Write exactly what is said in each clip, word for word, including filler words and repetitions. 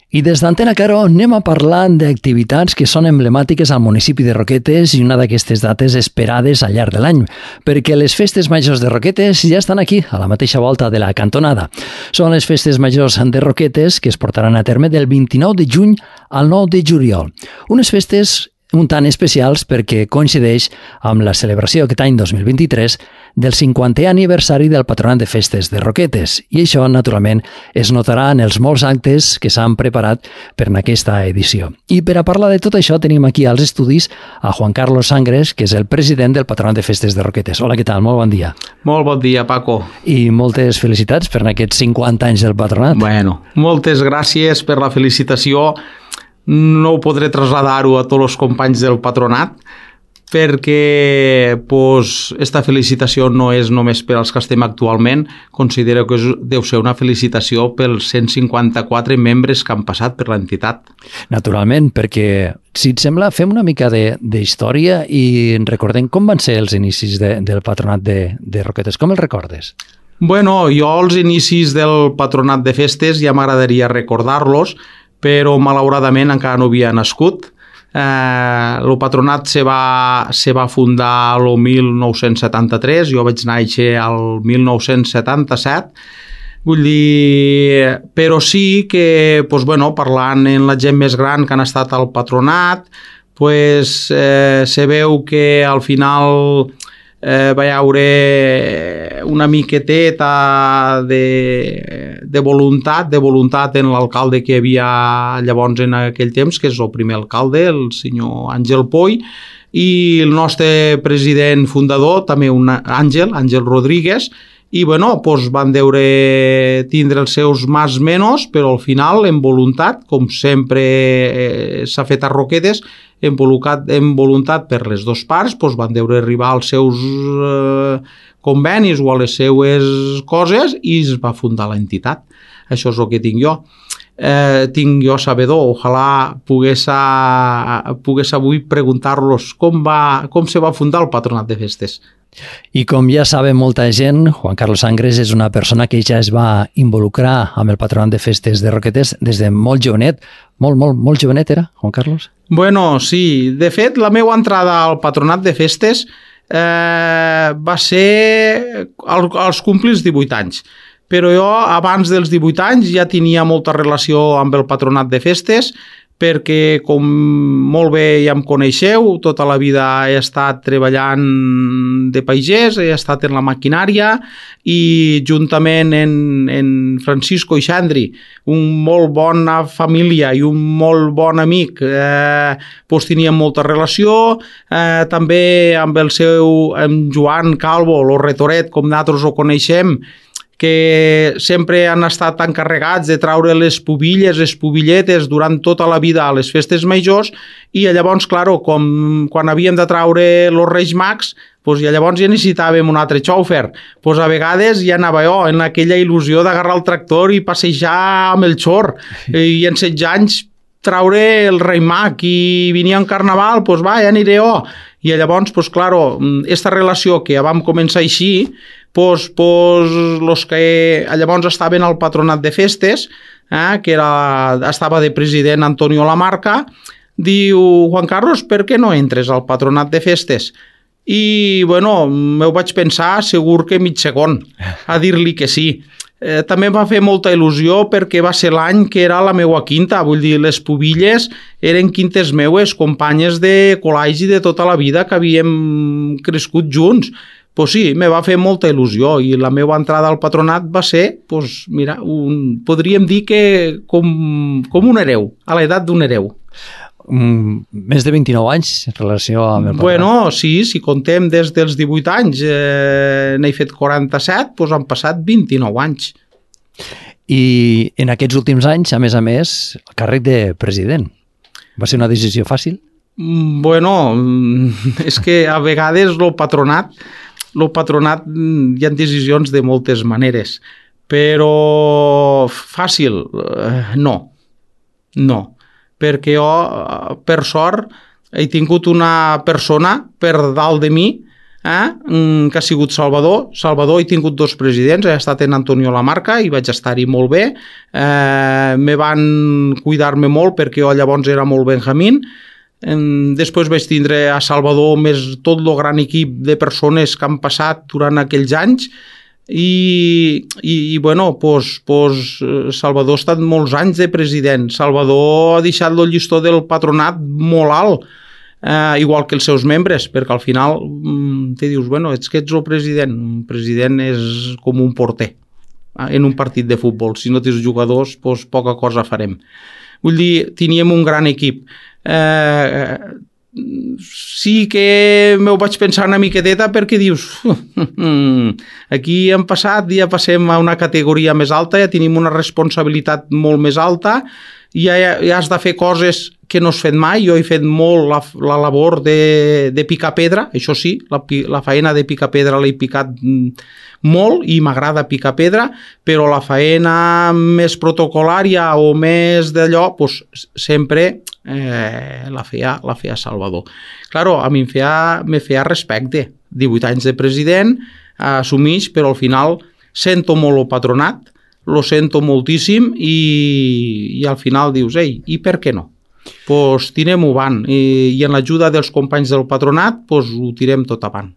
I des d'Antena Caro anem a parlar d'activitats que són emblemàtiques al municipi de Roquetes i una d'aquestes dates esperades al llarg de l'any, perquè les festes majors de Roquetes ja estan aquí, a la mateixa volta de la cantonada. Són les festes majors de Roquetes que es portaran a terme del vint-i-nou de juny al nou de juliol. Unes festes un tant especials perquè coincideix amb la celebració aquest any dos mil vint-i-tres del cinquantè aniversari del Patronat de Festes de Roquetes, i això, naturalment, es notarà en els molts actes que s'han preparat per en aquesta edició. I per a parlar de tot això tenim aquí als estudis a Juan Carlos Sangres, que és el president del Patronat de Festes de Roquetes. Hola, què tal? Molt bon dia. Molt bon dia, Paco. I moltes felicitats per aquests cinquanta anys del Patronat. Bueno, moltes gràcies per la felicitació. No ho podré traslladar-ho a tots els companys del patronat perquè pues, esta felicitació no és només per als que estem actualment, considero que és, deu ser una felicitació pels cent cinquanta-quatre membres que han passat per l'entitat. Naturalment, perquè si et sembla fem una mica d'història i recordem com van ser els inicis de, del Patronat de, de Roquetes. Com els recordes? Bueno, jo els inicis del Patronat de Festes ja m'agradaria recordar-los, però malauradament encara no havia nascut. Eh, el patronat se va, se va fundar el mil nou-cents setanta-tres, jo vaig néixer el mil nou-cents setanta-set, vull dir, però sí que, pues, bueno, parlant amb la gent més gran que han estat al patronat, pues, eh, se veu que al final eh, va haure una miqueteta de, de voluntat, de voluntat en l'alcalde que hi havia llavors en aquell temps, que és el primer alcalde, el senyor Àngel Poy, i el nostre president fundador, també un Àngel, Àngel Rodríguez, i bueno, doncs van deure tindre els seus más menos, però al final, en voluntat, com sempre eh, s'ha fet a Roquetes, en voluntat, en voluntat per les dues parts, doncs van deure arribar als seus eh, convenis o a les seues coses i es va fundar l'entitat. Això és el que tinc jo. Eh, tinc jo sabedor, ojalà pogués, a, pogués avui preguntar-los com, va, com se va fundar el Patronat de Festes. I com ja sabe molta gent, Juan Carlos Sangres és una persona que ja es va involucrar amb el Patronat de Festes de Roquetes des de molt jovenet. Molt, molt, molt jovenet era, Juan Carlos? Bueno, sí. De fet, la meva entrada al Patronat de Festes eh, va ser al, als complir els divuit anys. Però jo, abans dels divuit anys, ja tenia molta relació amb el Patronat de Festes, perquè, com molt bé ja em coneixeu, tota la vida he estat treballant de pagès, he estat en la maquinària i juntament en, en Francisco i Xandri, un molt bona família i un molt bon amic, eh, doncs teníem molta relació, eh, també amb el seu amb Joan Calvo, el Retoret, com nosaltres ho coneixem, que sempre han estat encarregats de traure les pubilles, les pubilletes durant tota la vida a les festes majors, i llavors, claro, com quan havíem de traure els Reis Mags, pues, ja llavors ja necessitàvem un altre xòfer. Pues, a vegades ja anava jo en aquella il·lusió d'agarrar el tractor i passejar amb el xor, i en setze anys traure el Rei Mag i venia un carnaval, pues va, ja aniré jo. I llavors, pues claro, esta relació que ja vam començar així, pues, pues los que llavors estaven al Patronat de Festes, eh, que era, estava de president Antonio Lamarca, diu, Juan Carlos, per què no entres al Patronat de Festes? I, bueno, m'ho vaig pensar segur que mig segon a dir-li que sí. Eh, també em va fer molta il·lusió perquè va ser l'any que era la meua quinta, vull dir, les pubilles eren quintes meues, companyes de col·legi de tota la vida que havíem crescut junts. Pues sí, me va fer molta il·lusió i la meva entrada al patronat va ser, pues, mira, un, podríem dir que com, com un hereu, a l'edat d'un hereu. Mm, més de vint-i-nou anys en relació amb el patronat. Bueno, sí, si contem des dels divuit anys, eh, n'he fet quaranta-set, doncs han passat vint-i-nou anys. I en aquests últims anys, a més a més, el càrrec de president. Va ser una decisió fàcil? Bueno, és que a vegades el patronat, el patronat hi ha decisions de moltes maneres, però fàcil, no, no. Perquè jo, per sort, he tingut una persona per dalt de mi eh? que ha sigut Salvador. Salvador he tingut dos presidents, he estat en Antonio Lamarca i vaig estar-hi molt bé. Eh, me van cuidar-me molt perquè jo llavors era molt benjamín. Després vaig tindre a Salvador més tot el gran equip de persones que han passat durant aquells anys i, i, i bueno, pues, pues, Salvador ha estat molts anys de president. Salvador ha deixat el llistó del patronat molt alt, eh, igual que els seus membres, perquè al final te dius, bueno, ets que ets el president. Un president és com un porter en un partit de futbol. Si no tens jugadors, pues, poca cosa farem. Vull dir, teníem un gran equip. Eh, sí que m'ho vaig pensar una miqueteta perquè dius aquí hem passat, ja passem a una categoria més alta, ja tenim una responsabilitat molt més alta, ja, ja has de fer coses que no has fet mai. Jo he fet molt la, la labor de, de picar pedra, això sí, la, la faena de picar pedra l'he picat molt i m'agrada picar pedra, però la faena més protocolària o més d'allò, pues, sempre eh, la, feia, la feia Salvador. Claro, a mi em feia, me feia respecte. divuit anys de president, eh, assumix, però al final sento molt el patronat, lo sento moltíssim i, i al final dius, ei, i per què no? Pues tirem-ho avant i, i en l'ajuda dels companys del patronat pues, ho tirem tot avant.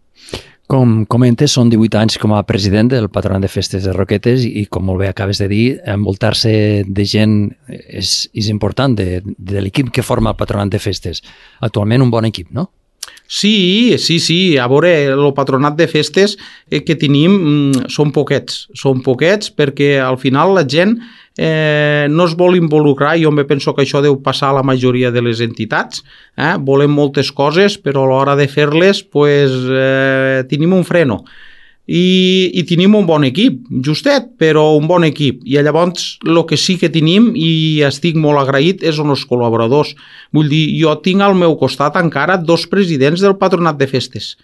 Com comentes, són divuit anys com a president del Patronat de Festes de Roquetes i, com molt bé acabes de dir, envoltar-se de gent és, és important, de, de l'equip que forma el Patronat de Festes. Actualment un bon equip, no? Sí, sí, sí. A veure, el Patronat de Festes que tenim mm, són poquets. Són poquets perquè al final la gent eh, no es vol involucrar. Jo me penso que això deu passar a la majoria de les entitats. Eh? Volem moltes coses, però a l'hora de fer-les pues, eh, tenim un freno. I, i tenim un bon equip, justet, però un bon equip. I llavors el que sí que tenim, i estic molt agraït, és els col·laboradors. Vull dir, jo tinc al meu costat encara dos presidents del Patronat de Festes.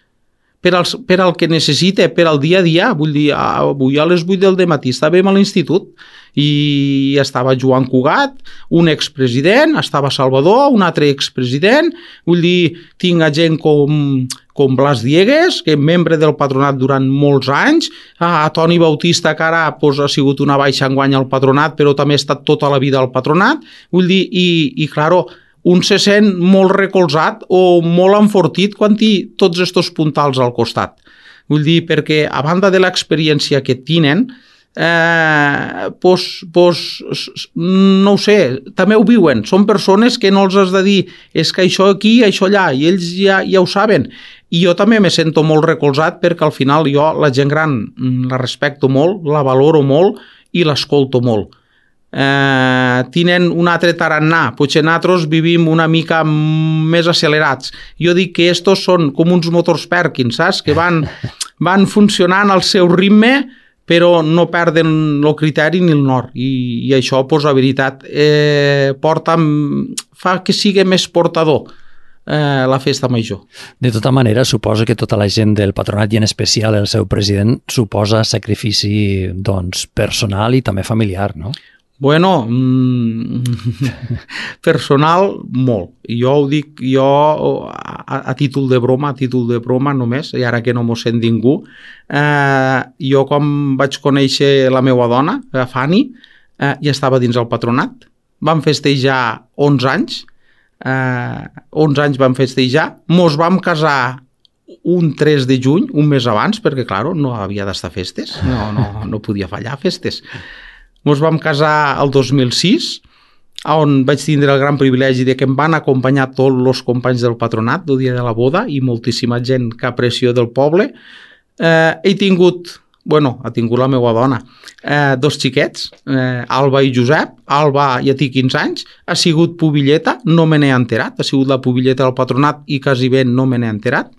Per al, per al que necessite, per al dia a dia. Vull dir, avui a les vuit del matí estàvem a l'institut i estava Joan Cugat, un expresident, estava Salvador, un altre expresident. Vull dir, tinc a gent com... com Blas Diegues, que és membre del patronat durant molts anys, a Toni Bautista, que ara pues, ha sigut una baixa enguany al patronat, però també ha estat tota la vida al patronat. Vull dir, i, i claro, un se sent molt recolzat o molt enfortit quan té tots aquests puntals al costat. Vull dir, perquè a banda de l'experiència que tenen, eh, pues, pues, no ho sé, també ho viuen. Són persones que no els has de dir és que això aquí, això allà, i ells ja, ja ho saben. I jo també me sento molt recolzat perquè al final jo la gent gran la respecto molt, la valoro molt i l'escolto molt. Eh, tenen un altre tarannà, potser nosaltres vivim una mica més accelerats. Jo dic que estos són com uns motors Perkins, saps? Que van, van funcionant al seu ritme però no perden el criteri ni el nord. I, i això, pues, la veritat, eh, porta, fa que sigui més portador eh, la festa major. De tota manera, suposo que tota la gent del patronat i en especial el seu president suposa sacrifici doncs, personal i també familiar, no? Bueno, mm, personal, molt. Jo ho dic, jo a, a títol de broma, a títol de broma només, i ara que no m'ho sent ningú, eh, jo quan vaig conèixer la meva dona, la Fanny, eh, ja estava dins el patronat. Vam festejar onze anys, eh, onze anys vam festejar, mos vam casar un tres de juny, un mes abans, perquè, clar, no havia d'estar festes, no, no, no podia fallar festes. Ens vam casar el dos mil sis, on vaig tindre el gran privilegi de que em van acompanyar tots els companys del patronat el dia de la boda i moltíssima gent que aprecio del poble. Eh, he tingut, bueno, ha tingut la meva dona, eh, dos xiquets, eh, Alba i Josep. Alba ja té quinze anys, ha sigut pubilleta, no me n'he enterat, ha sigut la pubilleta del patronat i quasi ben no me n'he enterat.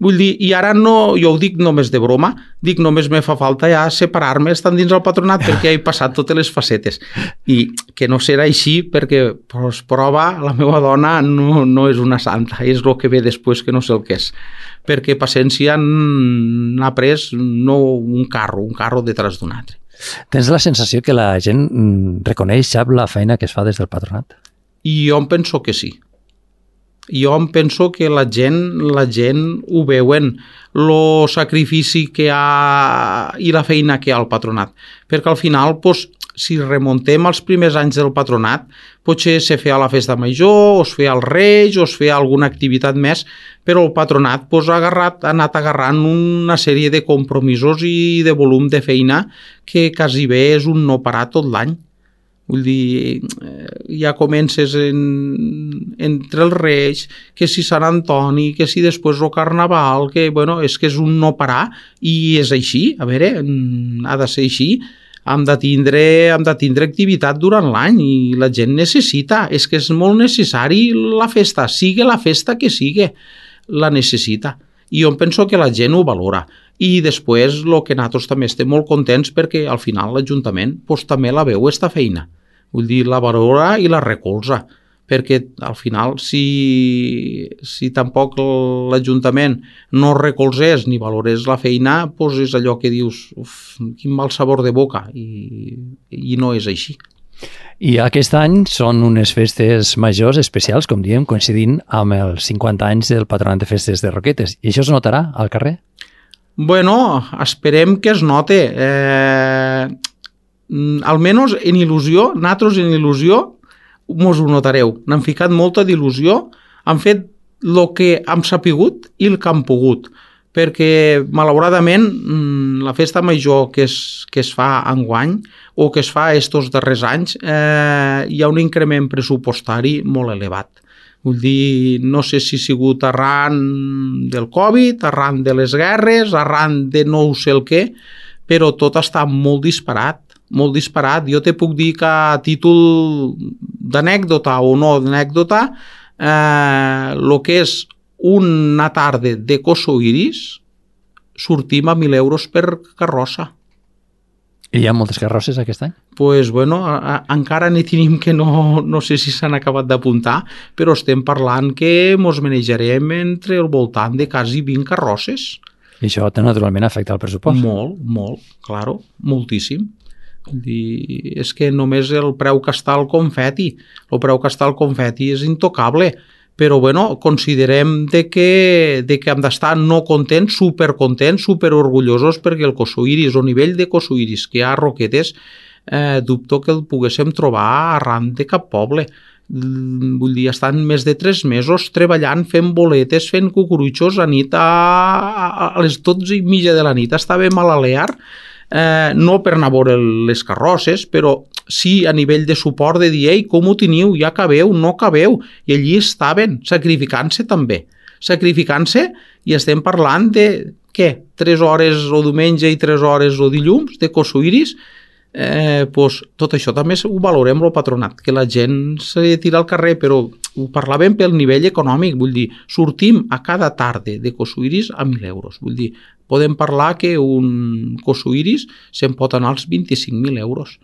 Vull dir, i ara no, jo ho dic només de broma, dic només me fa falta ja separar-me estant dins el patronat perquè he passat totes les facetes. I que no serà així perquè, pues, prova, la meva dona no, no és una santa, és el que ve després que no sé el que és. Perquè paciència n'ha pres no un carro, un carro detrás d'un altre. Tens la sensació que la gent reconeix, sap la feina que es fa des del patronat? I jo em penso que sí. Jo em penso que la gent, la gent ho veuen, el sacrifici que hi ha i la feina que hi ha al patronat. Perquè al final, doncs, si remontem als primers anys del patronat, potser se feia la festa major, o es feia el Reis, o es feia alguna activitat més, però el patronat doncs, ha, agarrat, ha anat agarrant una sèrie de compromisos i de volum de feina que quasi bé és un no parar tot l'any. Vull dir, ja comences en, entre els Reis, que si Sant Antoni, que si després el Carnaval, que bueno, és que és un no parar i és així, a veure, ha de ser així. Hem de tindre, hem de tindre activitat durant l'any i la gent necessita, és que és molt necessari la festa, sigui la festa que sigui, la necessita. I jo penso que la gent ho valora. I després el que nosaltres també estem molt contents perquè al final l'Ajuntament pues, també la veu esta feina. Vull dir, la valora i la recolza. Perquè al final si, si tampoc l'Ajuntament no recolzés ni valorés la feina, doncs és allò que dius, uf, quin mal sabor de boca, i, i no és així. I aquest any són unes festes majors especials, com diem, coincidint amb els cinquanta anys del Patronat de Festes de Roquetes. I això es notarà al carrer? Bueno, esperem que es note. Eh, almenys en il·lusió, nosaltres en il·lusió, mos ho notareu. N'han ficat molta d'il·lusió, han fet el que hem sapigut i el que han pogut, perquè malauradament la festa major que es, que es fa enguany o que es fa estos darrers anys eh, hi ha un increment pressupostari molt elevat. Vull dir, no sé si ha sigut arran del Covid, arran de les guerres, arran de no sé el què, però tot està molt disparat, molt disparat. Jo te puc dir que a títol d'anècdota o no d'anècdota, eh, el que és una tarda de Coso Iris, sortim a mil euros per carrossa. I hi ha moltes carrosses aquest any? Doncs, pues, bueno, a, a, encara n'hi tenim que no, no sé si s'han acabat d'apuntar, però estem parlant que mos manejarem entre el voltant de quasi vint carrosses. I això naturalment afecta el pressupost? Molt, molt, claro, moltíssim. I és que només el preu que està el confeti, el preu que està el confeti és intocable, però bueno, considerem de que, de que hem d'estar no contents, supercontents, superorgullosos perquè el Coso Iris, el nivell de Coso Iris que hi ha a Roquetes, eh, dubto que el poguéssim trobar arran de cap poble. Vull dir, estan més de tres mesos treballant, fent boletes, fent cucurutxos a nit, a, a les dotze i mitja de la nit estàvem a l'Alear, eh, no per anar a veure les carrosses, però sí a nivell de suport de dir, ei, com ho teniu, ja cabeu, no cabeu, i allí estaven, sacrificant-se també, sacrificant-se, i estem parlant de, què, tres hores o diumenge i tres hores o dilluns de Coso Iris, eh, pues, tot això també ho valorem el patronat, que la gent se tira al carrer, però ho parlàvem pel nivell econòmic, vull dir, sortim a cada tarda de Coso Iris a mil euros, vull dir, podem parlar que un Coso Iris se'n pot anar als vint-i-cinc mil euros.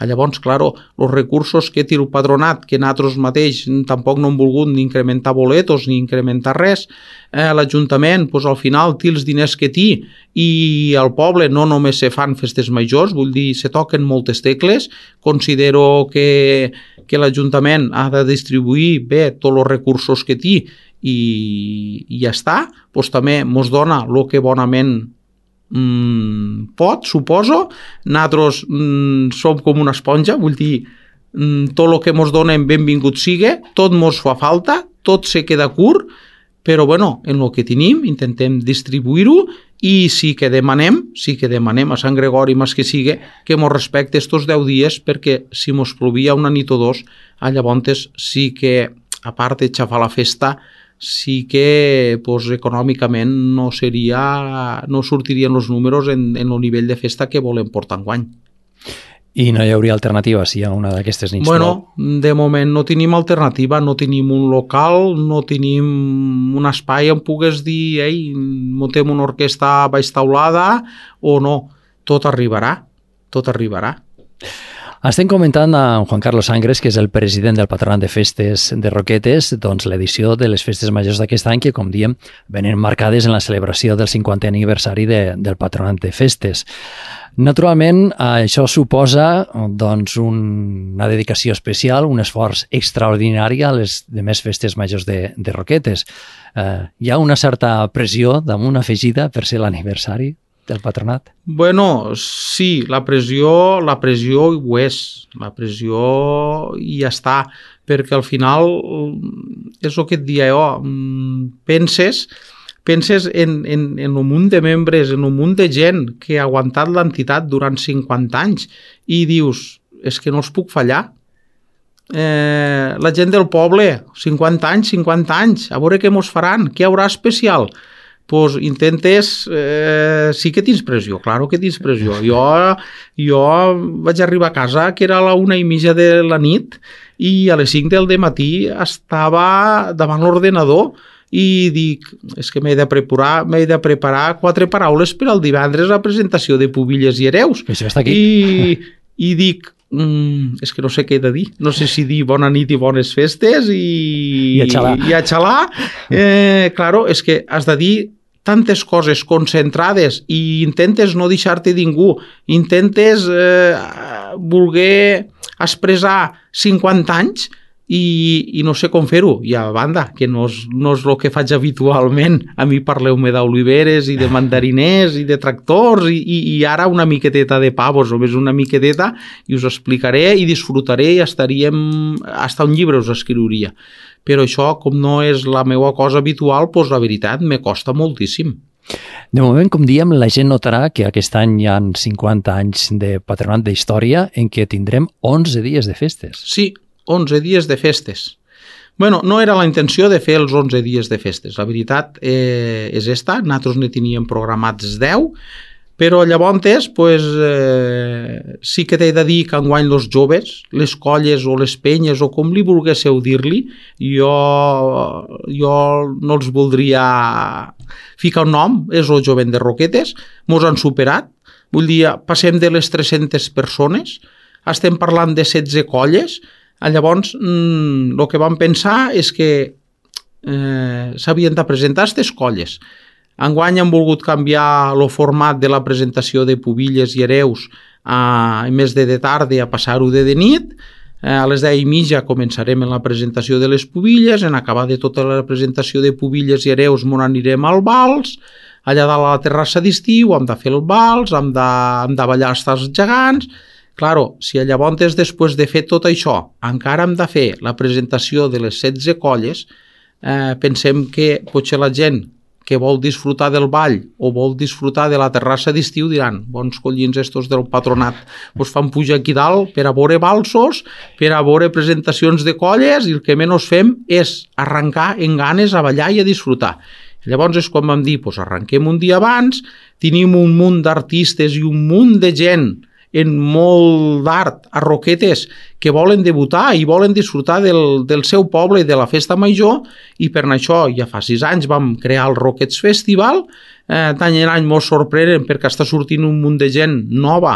Llavors, claro, els recursos que té el patronat, que nosaltres mateix tampoc no hem volgut ni incrementar boletos ni incrementar res, eh, l'Ajuntament pues, al final té els diners que té i al poble no només se fan festes majors, vull dir, se toquen moltes tecles, considero que, que l'Ajuntament ha de distribuir bé tots els recursos que té i, i ja està, pues, també mos dona el que bonament Mm, pot, suposo. Nosaltres mm, som com una esponja, vull dir, mm, tot el que mos donen benvingut sigue, tot mos fa falta, tot se queda curt, però bueno, en el que tenim intentem distribuir-ho i sí que demanem, sí que demanem a Sant Gregori més que sigui que mos respecte estos deu dies, perquè si mos plovia una nit o dos, llavors sí que, a part de xafar la festa, sí que pues, econòmicament no seria, no sortirien els números en, en el nivell de festa que volem portar enguany. I no hi hauria alternativa si hi ha una d'aquestes nits? Bueno, de moment no tenim alternativa, no tenim un local, no tenim un espai on pugues dir, ei, muntem una orquestra baix taulada o no. Tot arribarà, tot arribarà. Estem comentant amb Juan Carlos Sangres, que és el president del Patronat de Festes de Roquetes, doncs l'edició de les Festes Majors d'aquest any, que, com diem, venen marcades en la celebració del cinquantè aniversari de, del Patronat de Festes. Naturalment, això suposa doncs, un, una dedicació especial, un esforç extraordinari a les demés festes majors de, de Roquetes. Eh, hi ha una certa pressió damunt afegida per ser l'aniversari del patronat? Bueno, sí, la pressió, la pressió ho és, la pressió i ja està, perquè al final és el que et dia jo, penses, penses en, en, en un munt de membres, en un munt de gent que ha aguantat l'entitat durant cinquanta anys i dius, és que no els puc fallar. Eh, la gent del poble, cinquanta anys, cinquanta anys, a veure què mos faran, què hi haurà especial? Pues intentes, eh, sí que tens pressió, claro que tens pressió. Jo, jo vaig arribar a casa que era a la una i mitja de la nit i a les cinc del matí estava davant l'ordenador i dic, és que m'he de preparar, m'he de preparar quatre paraules per al divendres a presentació de Pubilles i Hereus. Això està aquí. I, i dic, Mm, és que no sé què he de dir, no sé si dir bona nit i bones festes i, I a xalar, i a xalar. Eh, claro, és que has de dir tantes coses concentrades i intentes no deixar-te ningú, intentes eh, voler expressar cinquanta anys i, i no sé com fer-ho, i a banda, que no és, no és el que faig habitualment. A mi parleu-me d'oliveres i de mandariners i de tractors i, i, i ara una miqueteta de pavos, només una miqueteta, i us explicaré i disfrutaré i estaríem, hasta un llibre us escriuria. Però això, com no és la meva cosa habitual, doncs la veritat, me costa moltíssim. De moment, com diem, la gent notarà que aquest any hi ha cinquanta anys de patronat d'història en què tindrem onze dies de festes. Sí, onze dies de festes. Bueno, no era la intenció de fer els onze dies de festes. La veritat eh, és esta. Nosaltres ne teníem programats deu, però llavors pues, eh, sí que t'he de dir que enguany els joves, les colles o les penyes o com li volguésseu dir-li, jo, jo no els voldria ficar un nom, és el jovent de Roquetes, mos han superat, vull dir, passem de les tres-centes persones, estem parlant de setze colles. Llavors, el que vam pensar és que eh, s'havien de presentar aquestes colles. Enguany hem volgut canviar el format de la presentació de Pubilles i Hereus a, en més de de tarda a passar-ho de de nit. Eh, a les deu i mitja començarem en la presentació de les Pubilles, en acabar de tota la presentació de Pubilles i Hereus m'on anirem al vals, allà dalt a la terrassa d'estiu hem de fer el vals, hem de, hem de ballar els gegants. Claro, si llavors després de fer tot això encara hem de fer la presentació de les setze colles, eh, pensem que potser la gent que vol disfrutar del ball o vol disfrutar de la terrassa d'estiu diran, bons collins estos del patronat, us fan pujar aquí dalt per a veure balsos, per a veure presentacions de colles i el que menys fem és arrencar en ganes a ballar i a disfrutar. Llavors és quan vam dir, pues arrenquem un dia abans, tenim un munt d'artistes i un munt de gent en molt d'art a Roquetes que volen debutar i volen disfrutar del, del seu poble i de la festa major, i per això ja fa sis anys vam crear el Roquets Festival. Eh, d'any en any mos sorprenen perquè està sortint un munt de gent nova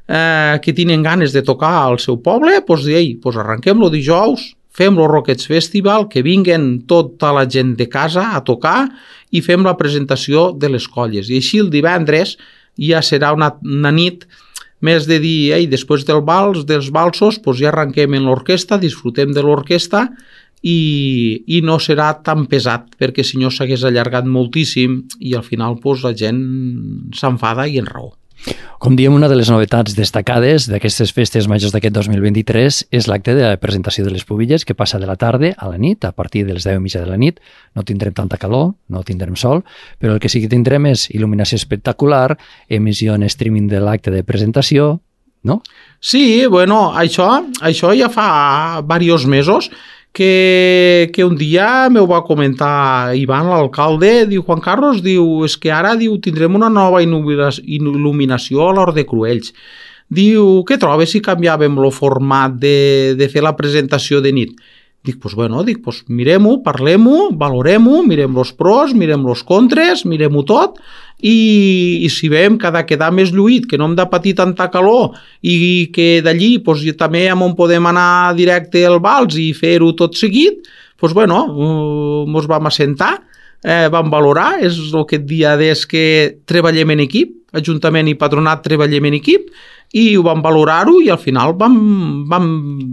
eh, que tenen ganes de tocar al seu poble. Doncs ei, doncs arrenquem-lo dijous, fem el Roquets Festival, que vinguen tota la gent de casa a tocar i fem la presentació de les colles. I així el divendres ja serà una, una nit més de dir, ei, després del vals, dels valsos, doncs ja arrenquem en l'orquestra, disfrutem de l'orquestra i, i no serà tan pesat, perquè si no s'hagués allargat moltíssim i al final doncs, la gent s'enfada i en raó. Com diem, una de les novetats destacades d'aquestes festes majors d'aquest dos mil vint-i-tres és l'acte de la presentació de les Pubilles, que passa de la tarda a la nit, a partir de les deu i mitja de la nit. No tindrem tanta calor, no tindrem sol, però el que sí que tindrem és il·luminació espectacular, emissió en streaming de l'acte de presentació, no? Sí, bueno, això, això ja fa diversos mesos que, que un dia m'ho va comentar Ivan, l'alcalde, diu, Juan Carlos, diu, és que ara diu, tindrem una nova il·luminació a l'Hort de Cruells. Diu, què trobes si canviàvem el format de, de fer la presentació de nit? Dic, pues bueno, dic, pues mirem-ho, parlem-ho, valorem-ho, mirem els pros, mirem els contres, mirem-ho tot i, i si veiem que ha de quedar més lluït, que no hem de patir tanta calor i que d'allí pues, també on podem anar directe al vals i fer-ho tot seguit, pues, bueno, ens vam assentar, eh, vam valorar, és el que et dia des que treballem en equip, Ajuntament i Patronat treballem en equip, i ho vam valorar-ho i al final vam, vam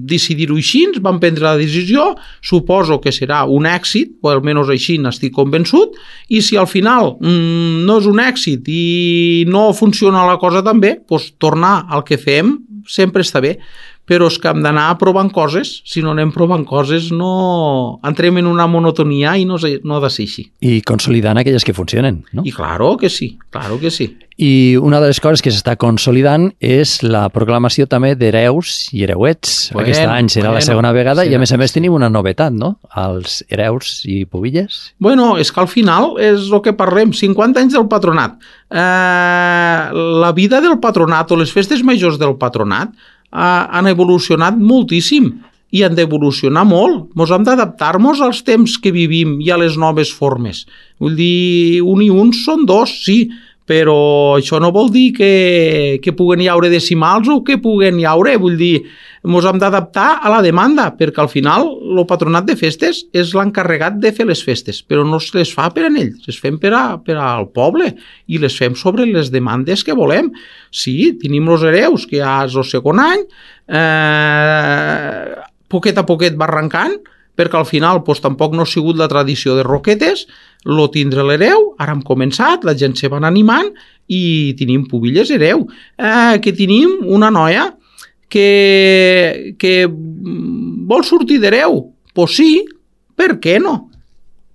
decidir-ho així, vam prendre la decisió, suposo que serà un èxit, o almenys així n'estic convençut, i si al final mmm, no és un èxit i no funciona la cosa tan bé, doncs tornar al que fem sempre està bé, però és que hem d'anar provant coses, si no anem provant coses no entrem en una monotonia i no, no ha de ser així. I consolidant aquelles que funcionen, no? I claro que sí, claro que sí. I una de les coses que s'està consolidant és la proclamació també d'hereus i hereuets. Bueno, Aquest any serà bueno, la segona vegada serà, i a més a més tenim una novetat, no? Els hereus i pubilles. Bueno, és que al final és el que parlem, cinquanta anys del patronat. Eh, la vida del patronat o les festes majors del patronat eh, han evolucionat moltíssim i han d'evolucionar molt. Ens hem d'adaptar-nos als temps que vivim i a les noves formes. Vull dir, un i un són dos, sí, però això no vol dir que, que puguen hi haure decimals o que puguen hi haure, vull dir, ens hem d'adaptar a la demanda, perquè al final el patronat de festes és l'encarregat de fer les festes, però no se les fa per a ells, les fem per, a, per al poble i les fem sobre les demandes que volem. Sí, tenim els hereus, que ja és el segon any, eh, poquet a poquet va arrencant, perquè al final doncs, tampoc no ha sigut la tradició de Roquetes, lo tindre l'hereu, ara hem començat, la gent se van animant i tenim pubilles hereu, eh, que tenim una noia que, que vol sortir d'hereu. Pues sí, per què no?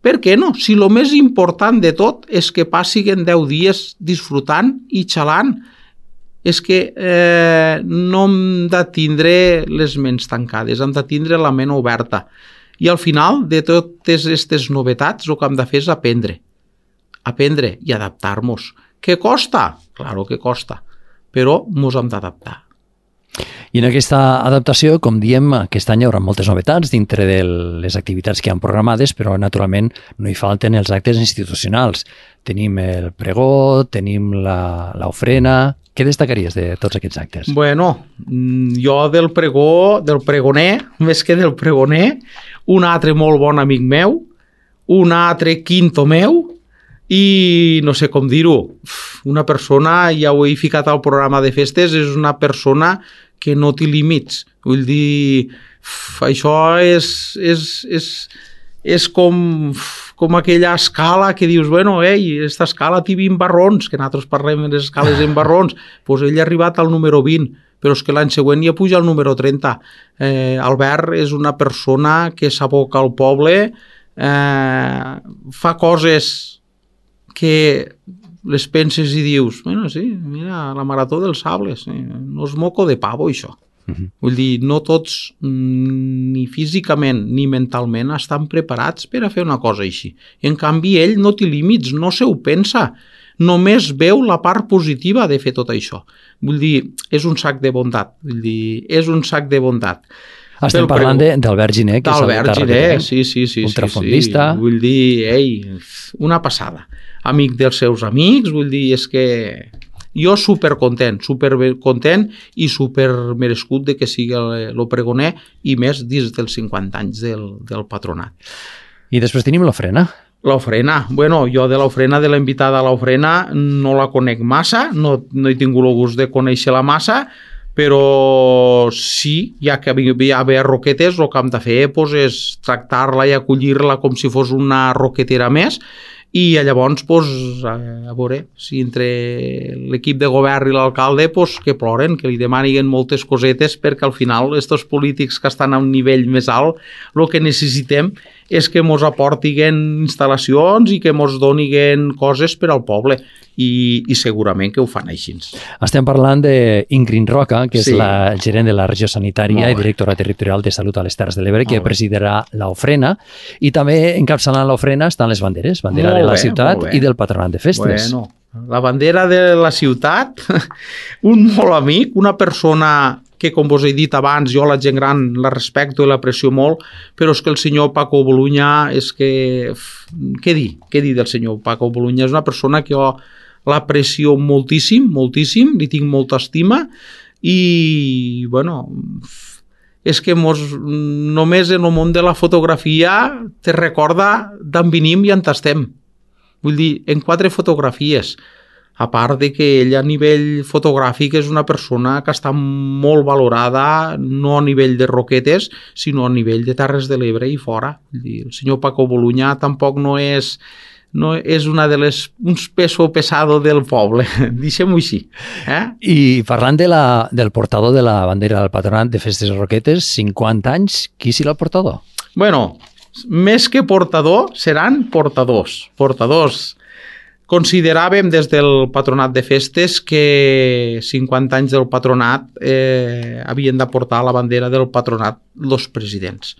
Per què no? Si el més important de tot és que passin deu dies disfrutant i xalant, és que eh, no hem de tindre les ments tancades, hem de tindre la ment oberta. I al final de totes aquestes novetats el que hem de fer és aprendre. Aprendre i adaptar-nos. Què costa? Claro que costa, però ens hem d'adaptar. I en aquesta adaptació, com diem, aquest any hi haurà moltes novetats dintre de les activitats que han programades, però naturalment no hi falten els actes institucionals. Tenim el pregó, tenim l'ofrena. Què destacaries de tots aquests actes? Bueno, jo del pregó, del pregoner, més que del pregoner, un altre molt bon amic meu, un altre quinto meu, i no sé com dir-ho, una persona, ja ho he ficat al programa de festes, és una persona que no té límits. Vull dir, això és, és, és, és com, com aquella escala que dius, bueno, ei, aquesta escala té vint barrons, que nosaltres parlem de les escales en barrons, doncs ell ha arribat al número vint, però és que l'any següent ja puja al número trenta. Eh, Albert és una persona que s'aboca al poble, eh, fa coses que les penses i dius, bueno, sí, mira, la marató dels sables, eh, no és moco de pavo, això. Uh-huh. Vull dir, no tots, ni físicament ni mentalment, estan preparats per a fer una cosa així. En canvi, ell no té límits, no se ho pensa, només veu la part positiva de fer tot això. Vull dir, és un sac de bondat, vull dir, és un sac de bondat. Estem parlant d'Albert Giner, que és d'Albert Giner, sí, sí, sí, ultrafondista. Sí, sí. Vull dir, ei, una passada. Amic dels seus amics, vull dir, és que jo supercontent, supercontent i supermerescut de que sigui el pregoner i més dins dels cinquanta anys del, del patronat. I després tenim l'ofrena. L'ofrena, bueno, jo de l'ofrena, de la invitada a l'ofrena, no la conec massa, no, no he tingut el gust de conèixer-la massa, però sí, ja que hi ha haver roquetes, el que hem de fer doncs, és tractar-la i acollir-la com si fos una roquetera més, i llavors, doncs, a veure, si entre l'equip de govern i l'alcalde, doncs, que ploren, que li demanin moltes cosetes, perquè al final, aquests polítics que estan a un nivell més alt, el que necessitem és que ens aportin instal·lacions i que ens donin coses per al poble, i, i segurament que ho fan així. Estem parlant d'Ingrid Roca, que és Sí. la gerent de la regió sanitària Molt i bé. directora territorial de Salut a les Terres de l'Ebre, que Molt bé. presidirà l'ofrena, i també encapçalant l'ofrena estan les banderes, bandera Molt de la bé, ciutat molt bé. i del patronat de festes. Bueno, la bandera de la ciutat, un molt amic, una persona que, com vos he dit abans, jo la gent gran la respecto i l'aprecio molt, però és que el senyor Paco Bolunya és que... Què dir? Què dir del senyor Paco Bolunya? És una persona que jo l'aprecio moltíssim, moltíssim, li tinc molta estima i, bueno, és que mos, només en el món de la fotografia te recorda d'on venim i on estem. Vull dir, en quatre fotografies, a part de que ell a nivell fotogràfic és una persona que està molt valorada, no a nivell de Roquetes, sinó a nivell de Terres de l'Ebre i fora. Vull dir, el senyor Paco Boluña tampoc no és... no és una de les, uns peso pesado del poble, deixem-ho així. Eh? I parlant de la, del portador de la bandera del Patronat de Festes Roquetes, cinquanta anys, qui serà el portador? Bueno, més que portador, seran portadors. Portadors. Consideràvem des del Patronat de Festes que cinquanta anys del Patronat eh, havien de portar la bandera del Patronat els presidents.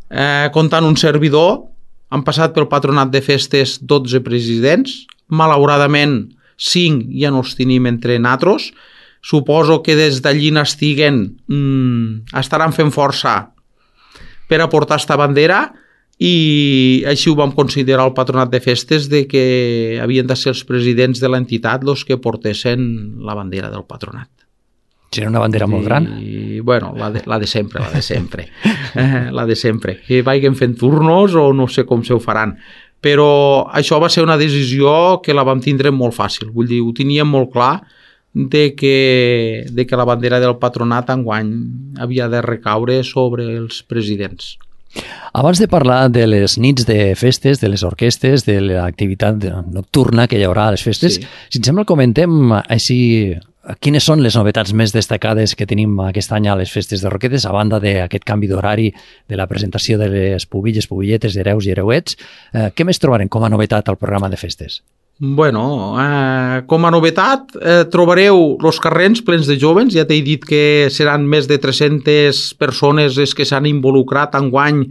Eh, comptant un servidor, han passat pel Patronat de Festes dotze presidents, malauradament cinc ja no els tenim entre natros, suposo que des d'allí n'estiguen, mmm, estaran fent força per aportar esta bandera i així ho vam considerar el Patronat de Festes de que havien de ser els presidents de l'entitat els que portessin la bandera del Patronat. Serà una bandera molt gran? I, bueno, la de, la de sempre, la de sempre. Eh, la de sempre. Que vagin fent turnos o no sé com se ho faran. Però això va ser una decisió que la vam tindre molt fàcil. Vull dir, ho teníem molt clar de que, de que la bandera del Patronat enguany havia de recaure sobre els presidents. Abans de parlar de les nits de festes, de les orquestes, de l'activitat nocturna que hi haurà a les festes, sí. Si em sembla comentem així quines són les novetats més destacades que tenim aquest any a les festes de Roquetes, a banda d'aquest canvi d'horari, de la presentació de les pubilles, pubilletes, hereus i hereuets. Eh, què més trobarem com a novetat al programa de festes? Bueno, eh, com a novetat eh, trobareu els carrers plens de jovens. Ja t'he dit que seran més de tres-centes persones les que s'han involucrat enguany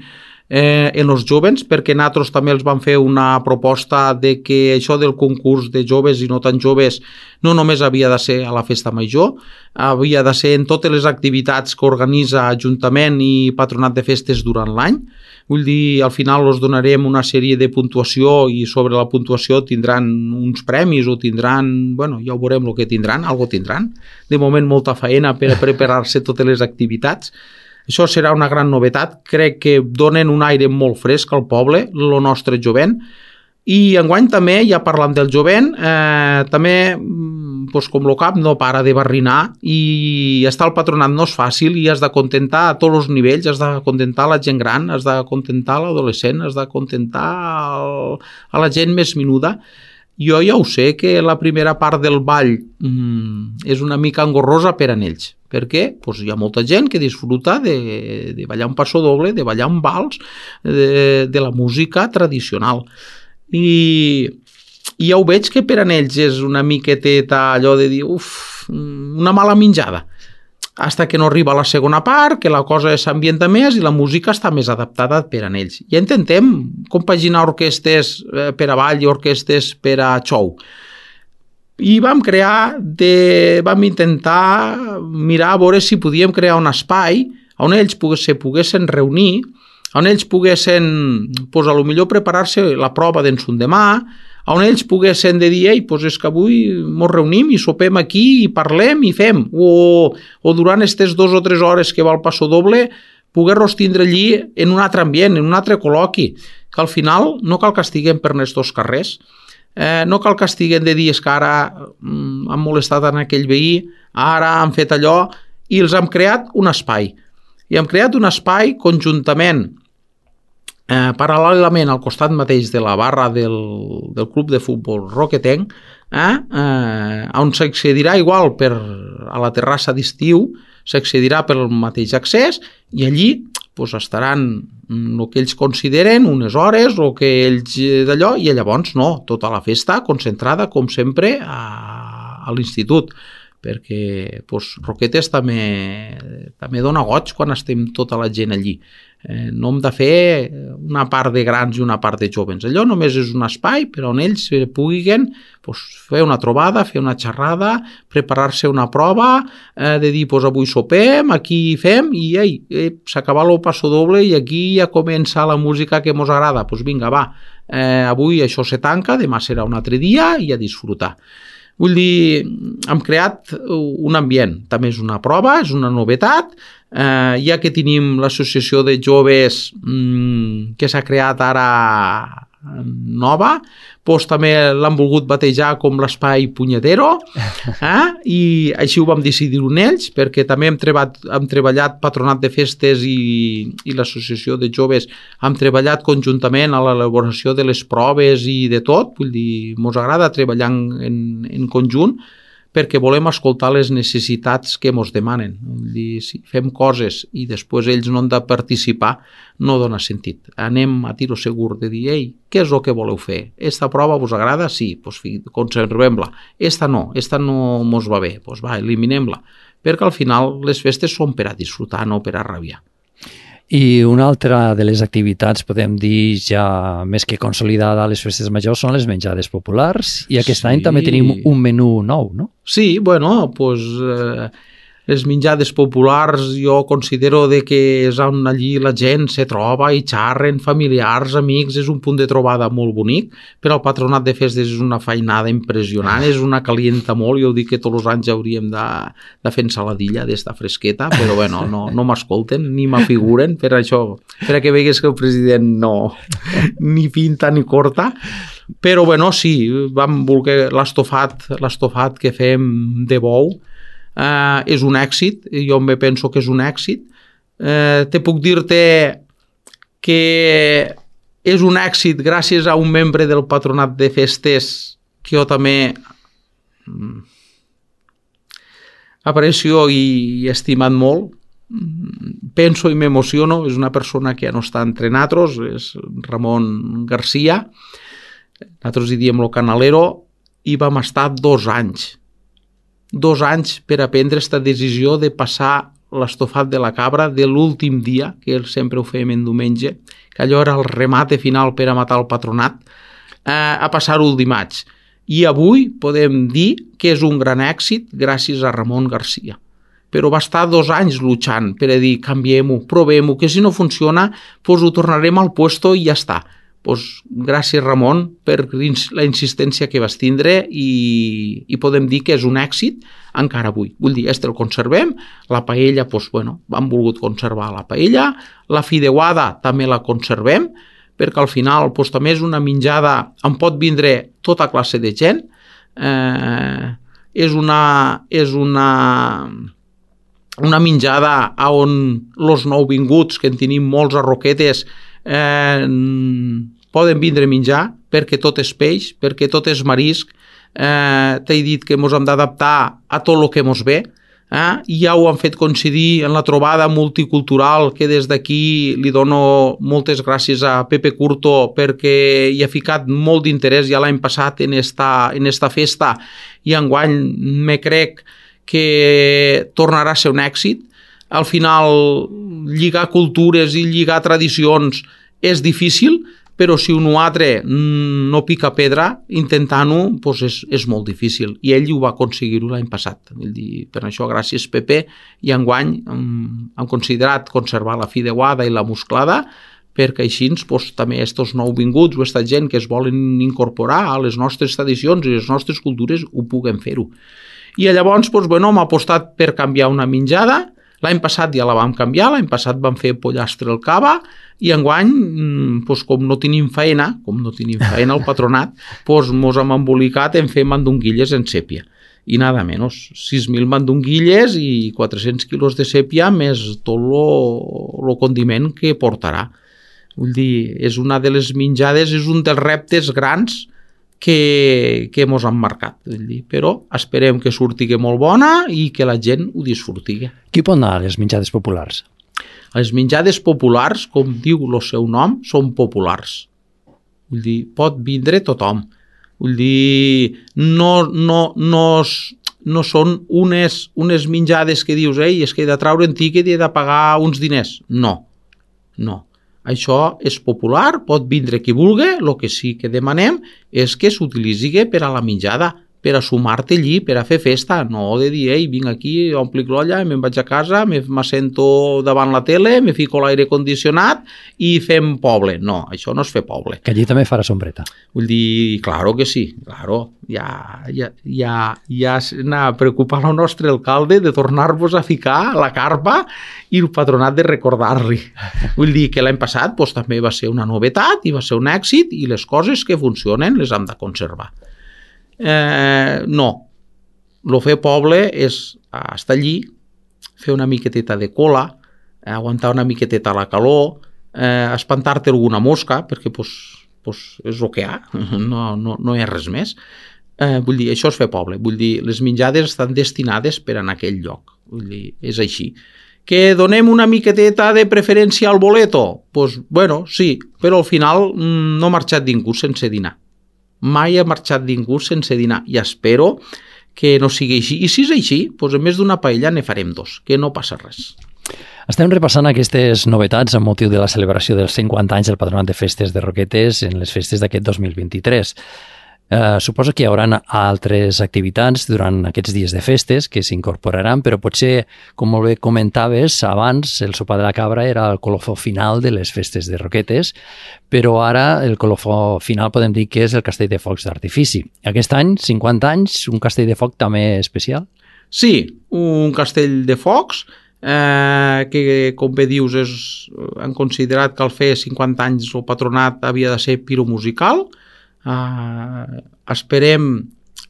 eh, en els jovens, perquè nosaltres també els vam fer una proposta de que això del concurs de joves i no tan joves no només havia de ser a la festa major, havia de ser en totes les activitats que organitza Ajuntament i Patronat de Festes durant l'any. Vull dir, al final els donarem una sèrie de puntuació i sobre la puntuació tindran uns premis o tindran, bueno, ja ho veurem el que tindran, algo tindran. De moment molta feina per a preparar-se totes les activitats. Això serà una gran novetat. Crec que donen un aire molt fresc al poble, el nostre jovent. I enguany també, ja parlant del jovent, eh, també, doncs com el cap no para de barrinar i estar al Patronat no és fàcil i has de contentar a tots els nivells, has de contentar la gent gran, has de contentar l'adolescent, has de contentar el, a la gent més menuda. Jo ja ho sé que la primera part del ball mm, és una mica engorrosa per a ells, perquè pues, hi ha molta gent que disfruta de, de ballar un passo doble, de ballar un vals, de, de la música tradicional. I, i ja ho veig que per a ells és una miqueteta allò de dir, uf, una mala menjada. Hasta que no arriba la segona part, que la cosa s'ambienta més i la música està més adaptada per a ells. Ja intentem compaginar orquestes per a ball i orquestes per a show. I vam crear, de, vam intentar mirar a veure si podíem crear un espai on ells se poguessin reunir, on ells poguessin, pues, a lo millor preparar-se la prova d'ensundemà, on ells poguessin de dir, ei, pues és que avui ens reunim i sopem aquí i parlem i fem, o, o durant aquestes dues o tres hores que va el passo doble, poder-los tindre allí en un altre ambient, en un altre col·loqui, que al final no cal que estiguem per aquests carrers, eh, no cal que estiguem de dir, és que ara mm, han molestat en aquell veí, ara han fet allò, i els hem creat un espai. I hem creat un espai conjuntament, eh, paral·lelament al costat mateix de la barra del, del club de futbol roquetenc, eh, eh, on s'accedirà igual per, a la terrassa d'estiu, s'accedirà pel mateix accés i allí pues, estaran el que ells consideren, unes hores, el que ells d'allò, i llavors no, tota la festa concentrada, com sempre, a, a l'institut. Perquè pues, Roquetes també, també dona goig quan estem tota la gent allí. Eh, no hem de fer una part de grans i una part de joves. Allò només és un espai per on ells puguin pues, fer una trobada, fer una xerrada, preparar-se una prova, eh, de dir, pues, avui sopem, aquí fem, i ei, eh, s'acaba el passo doble i aquí ja comença la música que ens agrada. Pues vinga, va, eh, avui això se tanca, demà serà un altre dia i a disfrutar. Vull dir, hem creat un ambient, també és una prova, és una novetat, eh, ja que tenim l'associació de joves mmm, que s'ha creat ara nova, doncs també l'han volgut batejar com l'espai punyetero, eh? I així ho vam decidir en ells, perquè també hem treballat, hem treballat Patronat de Festes i, i l'Associació de Joves, hem treballat conjuntament a l'elaboració de les proves i de tot, vull dir, ens agrada treballar en, en conjunt, perquè volem escoltar les necessitats que ens demanen. Vull dir, si fem coses i després ells no han de participar, no dona sentit. Anem a tiro segur de dir, ei, què és el que voleu fer? Esta prova us agrada? Sí, doncs conservem-la. Esta no, esta no mos va bé, doncs va, eliminem-la. Perquè al final les festes són per a disfrutar, no per a rabiar. I una altra de les activitats, podem dir, ja més que consolidada a les festes majors, són les menjades populars, i aquest sí. any també tenim un menú nou, no? Sí, bueno, doncs eh, les menjades populars jo considero de que és on allí la gent se troba i xarren, familiars, amics, és un punt de trobada molt bonic, però el Patronat de Festes és una feinada impressionant, és una calienta molt, jo dic que tots els anys hauríem de, de fer ensaladilla d'esta fresqueta, però bueno, no, no m'escolten ni m'afiguren per això, per a que vegues que el president no ni pinta ni corta. Però bueno, sí, vam voler l'estofat, l'estofat que fem de bou, eh, és un èxit, jo me penso que és un èxit. Eh, te puc dir-te que és un èxit gràcies a un membre del Patronat de Festes que jo també aprecio i he estimat molt. Penso i m'emociono, és una persona que ja no està entre nosaltres, és Ramon Garcia. Nosaltres hi diem lo canalero, i vam estar dos anys. Dos anys per a prendre aquesta decisió de passar l'estofat de la cabra de l'últim dia, que sempre ho fèiem en diumenge, que allò era el remate final per a matar el patronat, eh, a passar-ho el dimarts. I avui podem dir que és un gran èxit gràcies a Ramon Garcia. Però va estar dos anys luchant per a dir canviem-ho, provem-ho, que si no funciona doncs ho tornarem al puesto i ja està. Pues, gràcies Ramon per la insistència que vas tindre i, i podem dir que és un èxit encara avui. Vull dir, este el conservem, la paella, pues, bueno, hem volgut conservar la paella, la fideuada també la conservem, perquè al final pues, també és una menjada, en pot vindre tota classe de gent, eh, és una... És una una menjada on els nouvinguts, que en tenim molts a Roquetes, eh, poden vindre a menjar, perquè tot és peix, perquè tot és marisc. Eh, T'he dit que ens hem d'adaptar a tot el que ens ve, eh? I ja ho han fet coincidir en la trobada multicultural, que des d'aquí li dono moltes gràcies a Pepe Curto perquè hi ha ficat molt d'interès ja l'any passat en esta, en esta festa, i enguany me crec que tornarà a ser un èxit. Al final, lligar cultures i lligar tradicions és difícil, però si un altre no pica pedra intentant-ho, doncs és, és molt difícil. I ell ho va aconseguir-ho l'any passat. Vull dir, per això, gràcies Pepe, i enguany hem considerat conservar la fideuada i la musclada, perquè així doncs, també aquests nouvinguts o aquesta gent que es volen incorporar a les nostres tradicions i les nostres cultures ho puguen fer-ho. I llavors, doncs, bueno, hem apostat per canviar una menjada. L'any passat ja la vam canviar, l'any passat vam fer pollastre al cava, i enguany, doncs, com no tenim feina, com no tenim feina al patronat, doncs mos hem embolicat en fer mandonguilles en sèpia. I nada menys, sis mil mandonguilles i quatre-cents quilos de sèpia més tot el condiment que portarà. Vull dir, és una de les menjades, és un dels reptes grans que, que mos han marcat. Vull dir, però esperem que surti molt bona i que la gent ho disfruti. Qui pot anar a les menjades populars? Les menjades populars, com diu el seu nom, són populars. Vull dir, pot vindre tothom. Vull dir, no, no, no, no són unes, unes menjades que dius, ei, és que he de treure en tiquet i he de pagar uns diners. No. No. Això és popular, pot vindre qui vulgui, el que sí que demanem és que s'utilitzi per a la menjada, per a sumar-te allí, per a fer festa, no de dir, ei, vinc aquí, omplic l'olla, me'n vaig a casa, m'assento davant la tele, me fico l'aire condicionat i fem poble. No, això no és fer poble. Que allí també farà sombreta. Vull dir, claro que sí, claro, ja, ja, ja, ja s'ha preocupat el nostre alcalde de tornar-vos a ficar la carpa i el patronat de recordar-li. Vull dir que l'any passat doncs, també va ser una novetat i va ser un èxit i les coses que funcionen les hem de conservar. Eh, no, el fer poble és estar allí, fer una miqueteta de cola, aguantar una miqueteta la calor, eh, espantar-te alguna mosca, perquè pues, pues, és el que hi ha, no, no, no hi ha res més. Eh, vull dir, això és fer poble, vull dir, les menjades estan destinades per a aquell lloc, vull dir, és així. Que donem una miqueteta de preferència al boleto? Doncs, pues, bueno, sí, però al final no ha marxat ningú sense dinar. Mai ha marxat ningú sense dinar i espero que no sigui així. I si és així, doncs en més d'una paella ne farem dos, que no passa res. Estem repassant aquestes novetats amb motiu de la celebració dels cinquanta anys del Patronat de Festes de Roquetes en les festes d'aquest dos mil vint-i-tres. Eh, suposo que hi haurà altres activitats durant aquests dies de festes que s'incorporaran, però potser, com molt bé comentaves, abans el sopar de la cabra era el colofó final de les festes de Roquetes, però ara el colofó final podem dir que és el castell de focs d'artifici. Aquest any, cinquanta anys, un castell de foc també especial? Sí, un castell de focs eh, que, com bé dius, és, han considerat que al fer cinquanta anys el patronat havia de ser piromusical. Uh, esperem,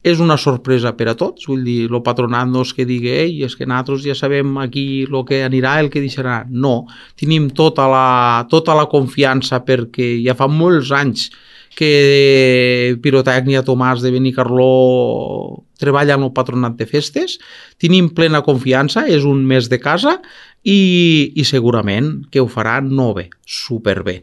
és una sorpresa per a tots, vull dir, el patronat no és que digui, ei, és que nosaltres ja sabem aquí el que anirà, el que deixarà. No, tenim tota la, tota la confiança perquè ja fa molts anys que Pirotècnia Tomàs de Benicarló treballa en el patronat de festes, tenim plena confiança, és un mes de casa i, i segurament que ho farà no bé, superbé.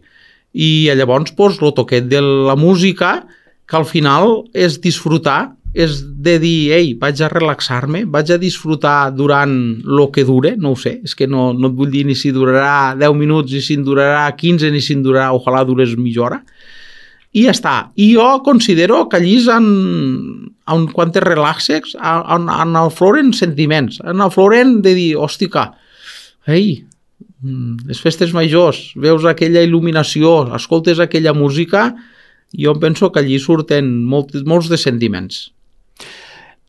I llavors doncs, el toquet de la música, que al final és disfrutar, és de dir, ei, vaig a relaxar-me, vaig a disfrutar durant el que dure, no ho sé, és que no, no et vull dir ni si durarà deu minuts, ni si en durarà quinze, ni si en durarà, ojalà durés mitja hora, i ja està. I jo considero que allí en, en quan te relaxes, en, en afloren sentiments, en afloren de dir, hòstica, ei, les festes majors, veus aquella il·luminació, escoltes aquella música, jo penso que allí surten molts, molts de sentiments.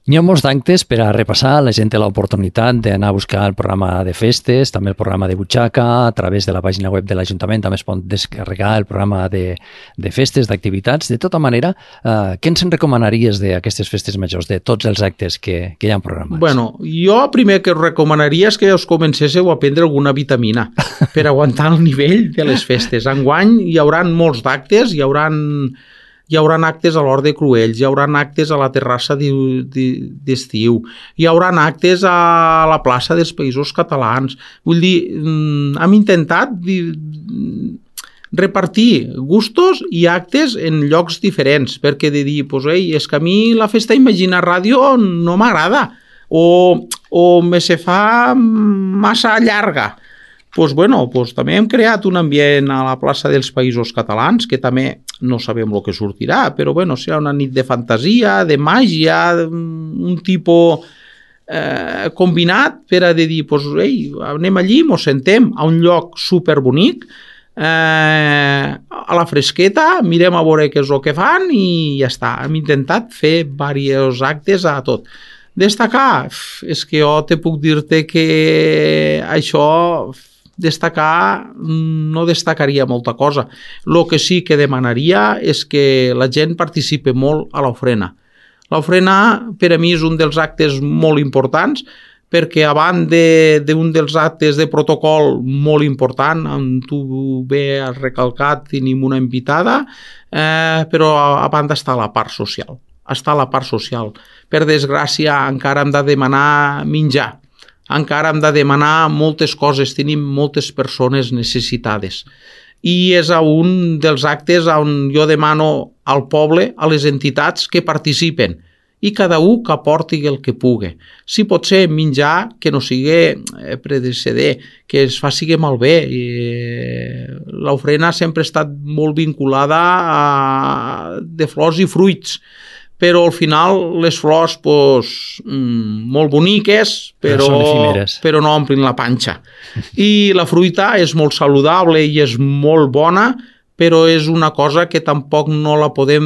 Hi ha molts d'actes per a repassar, la gent té l'oportunitat d'anar a buscar el programa de festes, també el programa de butxaca, a través de la pàgina web de l'Ajuntament també es pot descarregar el programa de, de festes, d'activitats. De tota manera, eh, què ens en recomanaries d'aquestes festes majors, de tots els actes que, que hi ha programats? Bueno, jo primer que us recomanaria és que us comencéssiu a prendre alguna vitamina per aguantar el nivell de les festes. Enguany hi haurà molts d'actes, hi haurà... Hi haurà actes a l'Hort de Cruells, hi haurà actes a la terrassa d'estiu, hi haurà actes a la plaça dels Països Catalans. Vull dir, hem intentat repartir gustos i actes en llocs diferents, perquè de dir, pues, ei, és que a mi la festa Imagina Ràdio no m'agrada, o, o me se fa massa llarga. Pues bueno, pues també hem creat un ambient a la plaça dels Països Catalans, que també no sabem el que sortirà, però bueno, serà una nit de fantasia, de màgia, un tipus eh, combinat per a dir, pues, ei, anem allí, mos sentem a un lloc superbonic, eh, a la fresqueta, mirem a veure què és el que fan i ja està. Hem intentat fer diversos actes a tot. Destacar, és que jo te puc dir-te que això... destacar, no destacaria molta cosa. El que sí que demanaria és que la gent participi molt a l'ofrena. L'ofrena per a mi és un dels actes molt importants perquè abans d'un de, dels actes de protocol molt important, on tu bé has recalcat, tenim una invitada, eh, però abans està la part social. Està la part social. Per desgràcia encara hem de demanar menjar. Encara hem de demanar moltes coses, tenim moltes persones necessitades. I és un dels actes on jo demano al poble, a les entitats que participen i cada un que aporti el que pugui. Si pot ser menjar que no sigui predeceder, que es faci malbé. L'ofrena sempre ha estat molt vinculada a de flors i fruits, però al final les flors pues, molt boniques, però, però no omplin la panxa. I la fruita és molt saludable i és molt bona, però és una cosa que tampoc no la podem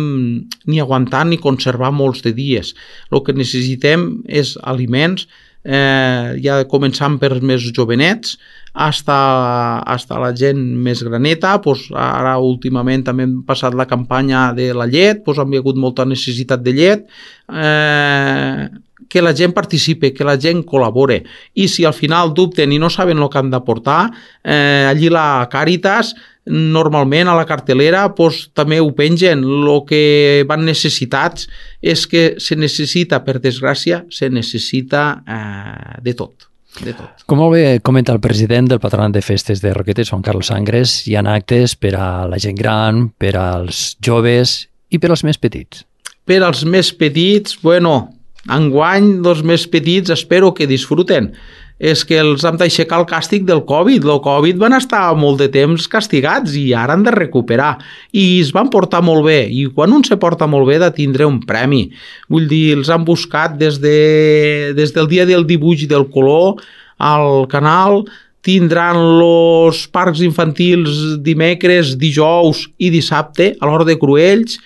ni aguantar ni conservar molts de dies. El que necessitem és aliments, eh, ja començant per més jovenets, hasta, hasta la gent més graneta. Pues ara últimament també hem passat la campanya de la llet, pues han hagut molta necessitat de llet, eh, que la gent participe, que la gent col·labore, i si al final dubten i no saben el que han d'aportar, eh, allí la Càritas normalment a la cartelera pues, també ho pengen. El que van necessitats és que se necessita, per desgràcia, se necessita eh, de tot. De tot. Com molt bé comenta el president del Patronat de Festes de Roquetes, Juan Carlos Sangres, hi ha actes per a la gent gran, per als joves i per als més petits. Per als més petits, bueno, enguany dels més petits espero que disfruten. És que els hem d'aixecar el càstig del Covid. El Covid van estar molt de temps castigats i ara han de recuperar. I es van portar molt bé. I quan un se porta molt bé de tindre un premi. Vull dir, els han buscat des, de, des del dia del dibuix i del color al canal. Tindran els parcs infantils dimecres, dijous i dissabte a l'hora de Cruells.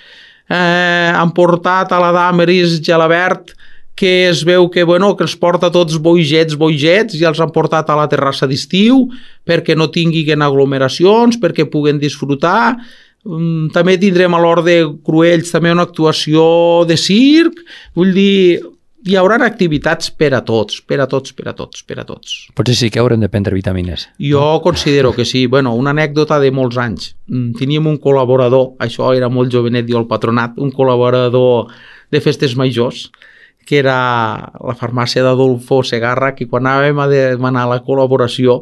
Eh, han portat a la Damaris Gelabert, que es veu que, bueno, que els porta tots boigets, boigets, i els han portat a la terrassa d'estiu perquè no tinguin aglomeracions, perquè puguen disfrutar. També tindrem a l'hora de Cruells també una actuació de circ. Vull dir, hi haurà activitats per a tots, per a tots, per a tots, per a tots. Potser sí que haurem de prendre vitamines. Jo considero que sí. Bueno, una anècdota de molts anys. Teníem un col·laborador, això era molt jovenet jo al patronat, un col·laborador de festes majors, que era la farmàcia d'Adolfo Segarra, que quan anàvem a demanar la col·laboració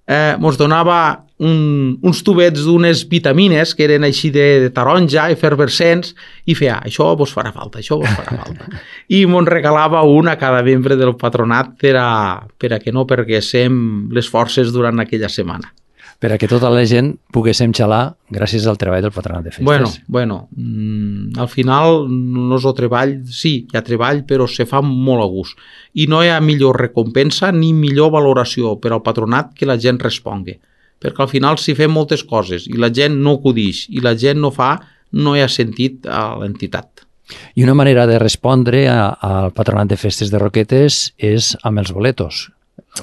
eh, ens donava un, uns tubets d'unes vitamines que eren així de, de taronja, efervescents, i feia, això vos farà falta, això vos farà falta. I ens regalava una a cada membre del patronat per a, per a que no perguéssim les forces durant aquella setmana. Per a que tota la gent poguéssim xalar gràcies al treball del Patronat de Festes. Bueno, bueno mmm, al final no és el treball, sí, hi ha treball, però se fa molt a gust. I no hi ha millor recompensa ni millor valoració per al patronat que la gent respongui. Perquè al final si fem moltes coses i la gent no acudix i la gent no fa, no hi ha sentit a l'entitat. I una manera de respondre a, al Patronat de Festes de Roquetes és amb els boletos.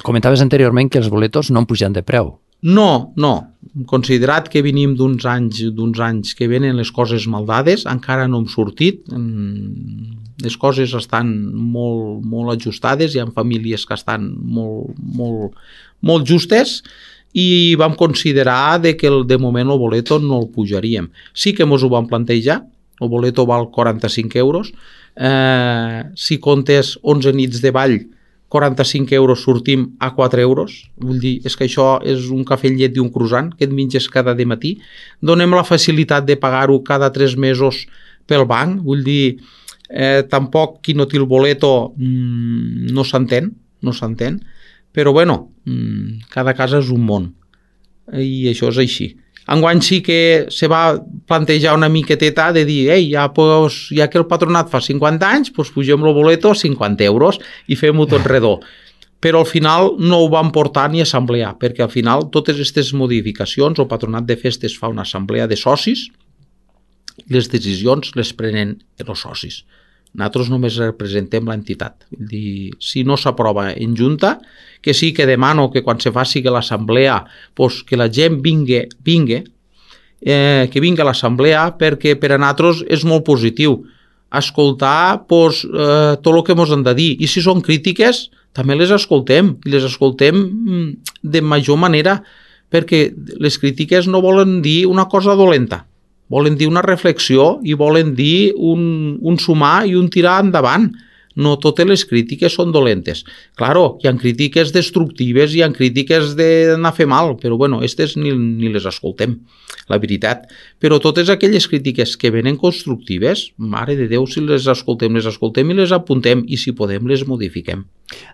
Comentaves anteriorment que els boletos no han pujat de preu. No, no. Considerat que venim d'uns anys, d'uns anys que venen les coses maldades, encara no hem sortit. Les coses estan molt, molt ajustades, hi ha famílies que estan molt, molt, molt justes, i vam considerar de que de moment el boleto no el pujaríem. Sí que ens ho vam plantejar, el boleto val quaranta-cinc euros, eh, si comptes onze nits de ball, quaranta-cinc euros sortim a quatre euros, vull dir, és que això és un cafè amb llet i un croissant que et menges cada dematí. Donem la facilitat de pagar-ho cada tres mesos pel banc, vull dir, eh, tampoc qui no té el boleto mmm, no s'entén, no s'entén, però bueno, mmm, cada casa és un món i això és així. Enguany sí que se va plantejar una miqueteta de dir, ei, ja, pues, ja que el patronat fa cinquanta anys, pues pugem el boleto a cinquanta euros i fem-ho tot redó. Però al final no ho van portar ni a assemblea, perquè al final totes aquestes modificacions, el patronat de festes fa una assemblea de socis, les decisions les prenen els socis. Nosaltres només representem l'entitat. Vull dir, si no s'aprova en junta, que sí que demano que quan se faci l'assemblea, pues, que la gent vingui, vingui eh, que vingui a l'assemblea, perquè per a nosaltres és molt positiu escoltar pues, eh, tot el que ens han de dir. I si són crítiques, també les escoltem, i les escoltem de major manera, perquè les crítiques no volen dir una cosa dolenta. Volen dir una reflexió i volen dir un, un sumar i un tirar endavant. No totes les crítiques són dolentes. Claro, hi ha crítiques destructives, hi ha crítiques d'anar a fer mal, però bueno, aquestes ni, ni les escoltem, la veritat. Però totes aquelles crítiques que venen constructives, mare de Déu, si les escoltem, les escoltem i les apuntem, i si podem les modifiquem.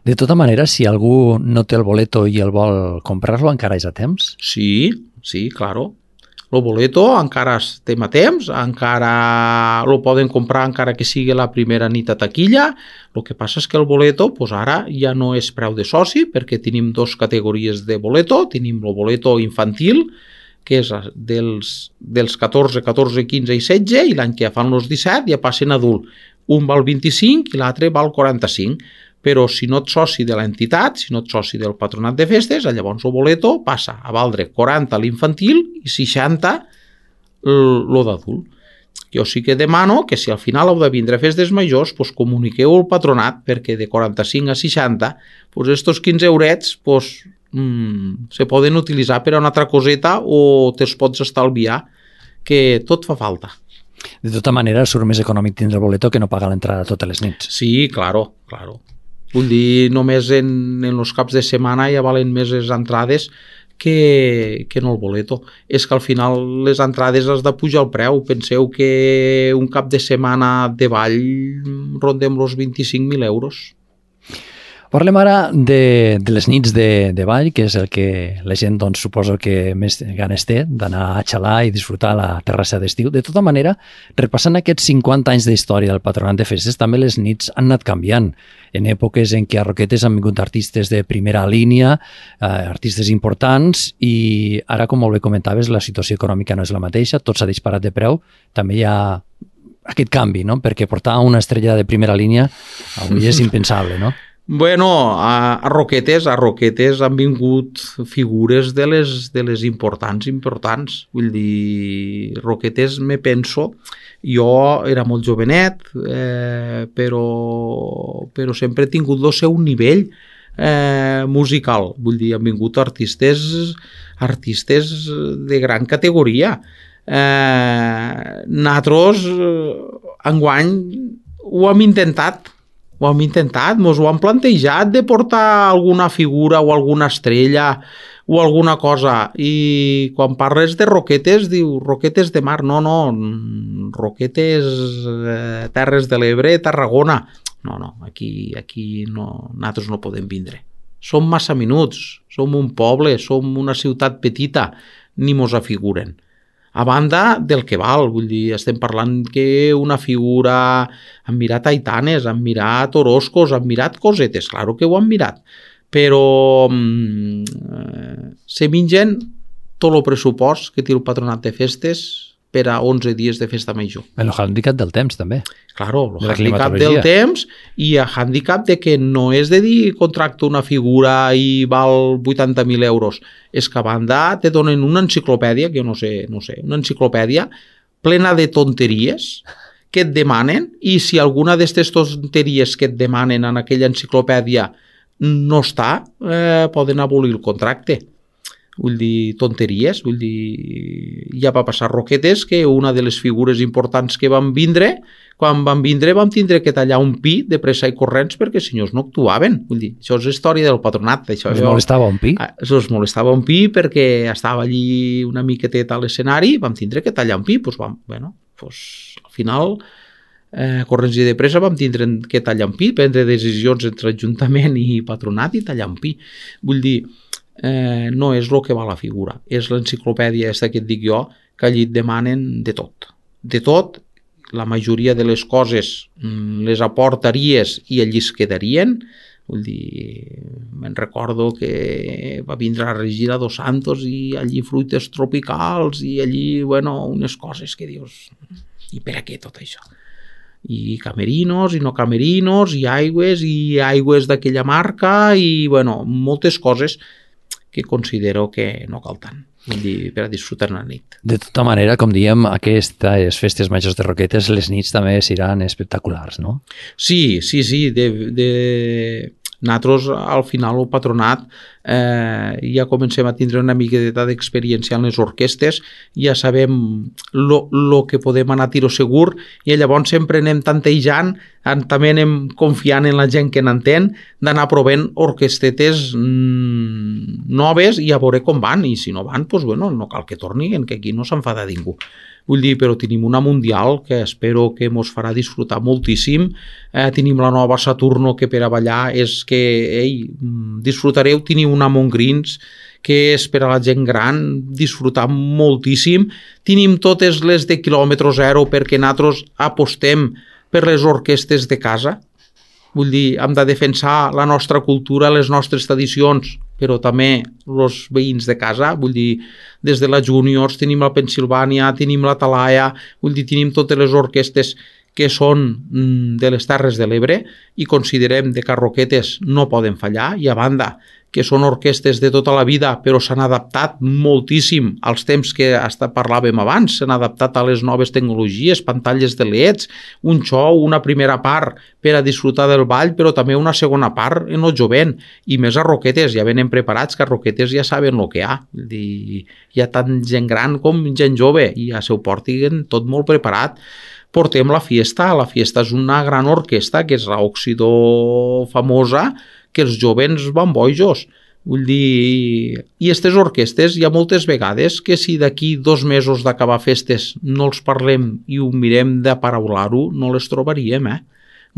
De tota manera, si algú no té el boleto i el vol comprar-lo, encara és a temps? Sí, sí, claro. El boleto encara estem a temps, encara lo poden comprar encara que sigui la primera nit a taquilla. El que passa és que el boleto pues ara ja no és preu de soci, perquè tenim dos categories de boleto. Tenim el boleto infantil, que és dels, dels catorze, catorze, quinze i setze, i l'any que fan els disset ja passen a adult. Un val vint-i-cinc i l'altre val quaranta-cinc. Però si no ets soci de l'entitat, si no ets soci del Patronat de Festes, llavors el boleto passa a valdre quaranta l'infantil i seixanta el d'adult. Jo sí que demano que si al final heu de vindre a festes majors, pues comuniqueu al patronat, perquè de quaranta-cinc a seixanta, pues estos quinze eurets pues, mmm, se poden utilitzar per a una altra coseta o te'ls pots estalviar, que tot fa falta. De tota manera, surt més econòmic tindre el boleto que no pagar l'entrada totes les nits. Sí, claro, claro. Vull dir, només en, en els caps de setmana ja valen més les entrades que, que no el boleto. És que al final les entrades has de pujar el preu. Penseu que un cap de setmana de ball rondem els vint-i-cinc mil euros. Parlem ara de, de les nits de, de ball, que és el que la gent doncs, suposo que més ganes té d'anar a xalar i disfrutar la terrassa d'estiu. De tota manera, repassant aquests cinquanta anys d'història del Patronat de Festes, també les nits han anat canviant. En èpoques en què a Roquetes han vingut artistes de primera línia, eh, artistes importants, i ara, com molt bé comentaves, la situació econòmica no és la mateixa, tot s'ha disparat de preu, també hi ha aquest canvi, no? Perquè portar una estrella de primera línia avui és impensable, no? Bueno, a, a Roquetes, a Roquetes han vingut figures de les, de les importants, importants. Vull dir, Roquetes me penso, jo era molt jovenet, eh, però, però sempre he tingut el seu nivell eh, musical. Vull dir, han vingut artistes, artistes de gran categoria. Eh, nosaltres, enguany, ho hem intentat, ho hem intentat, ens ho han plantejat de portar alguna figura o alguna estrella o alguna cosa, i quan parles de Roquetes diu Roquetes de Mar, no, no, Roquetes, eh, Terres de l'Ebre, Tarragona, no, no, aquí, aquí no, nosaltres no podem vindre. Som massa minuts, som un poble, som una ciutat petita, ni mos afiguren. A banda del que val, vull dir, estem parlant que una figura... Han mirat Aitanes, han mirat Orozcos, han mirat cosetes, claro que ho han mirat, però eh, se mengen tot el pressupost que té el Patronat de Festes per a onze dies de festa major. El handicap del temps, també. Claro, el handicap del temps i el handicap de que no és de dir contracto una figura i val vuitanta mil euros. És que a banda te donen una enciclopèdia, que jo no sé, no sé, una enciclopèdia plena de tonteries que et demanen, i si alguna d'aquestes tonteries que et demanen en aquella enciclopèdia no està, eh, poden abolir el contracte. Vull dir, tonteries, vull dir, ja va passar Roquetes que una de les figures importants que van vindre, quan van vindre vam tindre que tallar un pi de pressa i corrents perquè si no no actuaven. Vull dir, això és història del patronat. Això, us molestava un pi? Això us molestava un pi perquè estava allí una miqueteta a l'escenari, vam tindre que tallar un pi, doncs vam, bueno, doncs al final eh, corrents i de pressa vam tindre que tallar un pi, prendre decisions entre Ajuntament i patronat i tallar un pi. Vull dir, Eh, no és el que va la figura, és l'enciclopèdia aquesta que et dic jo, que allí et demanen de tot. De tot, la majoria de les coses les aportaries i allí es quedarien. Vull dir, me'n recordo que va vindre a Regina dos Santos i allí fruites tropicals i allí, bueno, unes coses que dius, i per a què tot això? I camerinos i no camerinos i aigües i aigües d'aquella marca i, bueno, moltes coses que considero que no cal tant, vull dir, per a disfrutar una nit. De tota manera, com diem, aquestes festes majors de Roquetes, les nits també seran espectaculars, no? Sí, sí, sí. De, de... Nosaltres, al final, el patronat eh, ja comencem a tindre una miqueta d'experiència en les orquestes, ja sabem el que podem anar a tiro segur, i llavors sempre anem tantejant, també anem confiant en la gent que n'entén, d'anar provant orquestetes mmm, noves i a veure com van, i si no van, doncs, bueno, no cal que tornin, que aquí no s'enfada ningú. Vull dir, però tenim una mundial que espero que mos farà disfrutar moltíssim. Eh, tenim la nova Saturno, que per a ballar és que, ei, disfrutareu. Tenim una Montgrins, que és per a la gent gran, disfrutar moltíssim. Tenim totes les de quilòmetre zero, perquè nosaltres apostem per les orquestes de casa. Vull dir, hem de defensar la nostra cultura, les nostres tradicions, però també els veïns de casa. Vull dir, des de la Juniors tenim la Pensilvània, tenim la Talaia, vull dir, tenim totes les orquestes que són de les Terres de l'Ebre i considerem que Roquetes no poden fallar, i a banda que són orquestes de tota la vida, però s'han adaptat moltíssim als temps que hasta parlàvem abans, s'han adaptat a les noves tecnologies, pantalles de L E Ds, un show, una primera part per a disfrutar del ball, però també una segona part en el jovent, i més a Roquetes, ja venen preparats, que a Roquetes ja saben el que hi ha, hi ha tant gent gran com gent jove, i ja s'ho portin tot molt preparat. Portem la Fiesta, la Fiesta és una gran orquesta, que és l'Òxido famosa, que els jovens van bojos. Vull dir, i aquestes orquestes hi ha moltes vegades que si d'aquí dos mesos d'acabar festes no els parlem i ho mirem de paraular-ho, no les trobaríem, eh?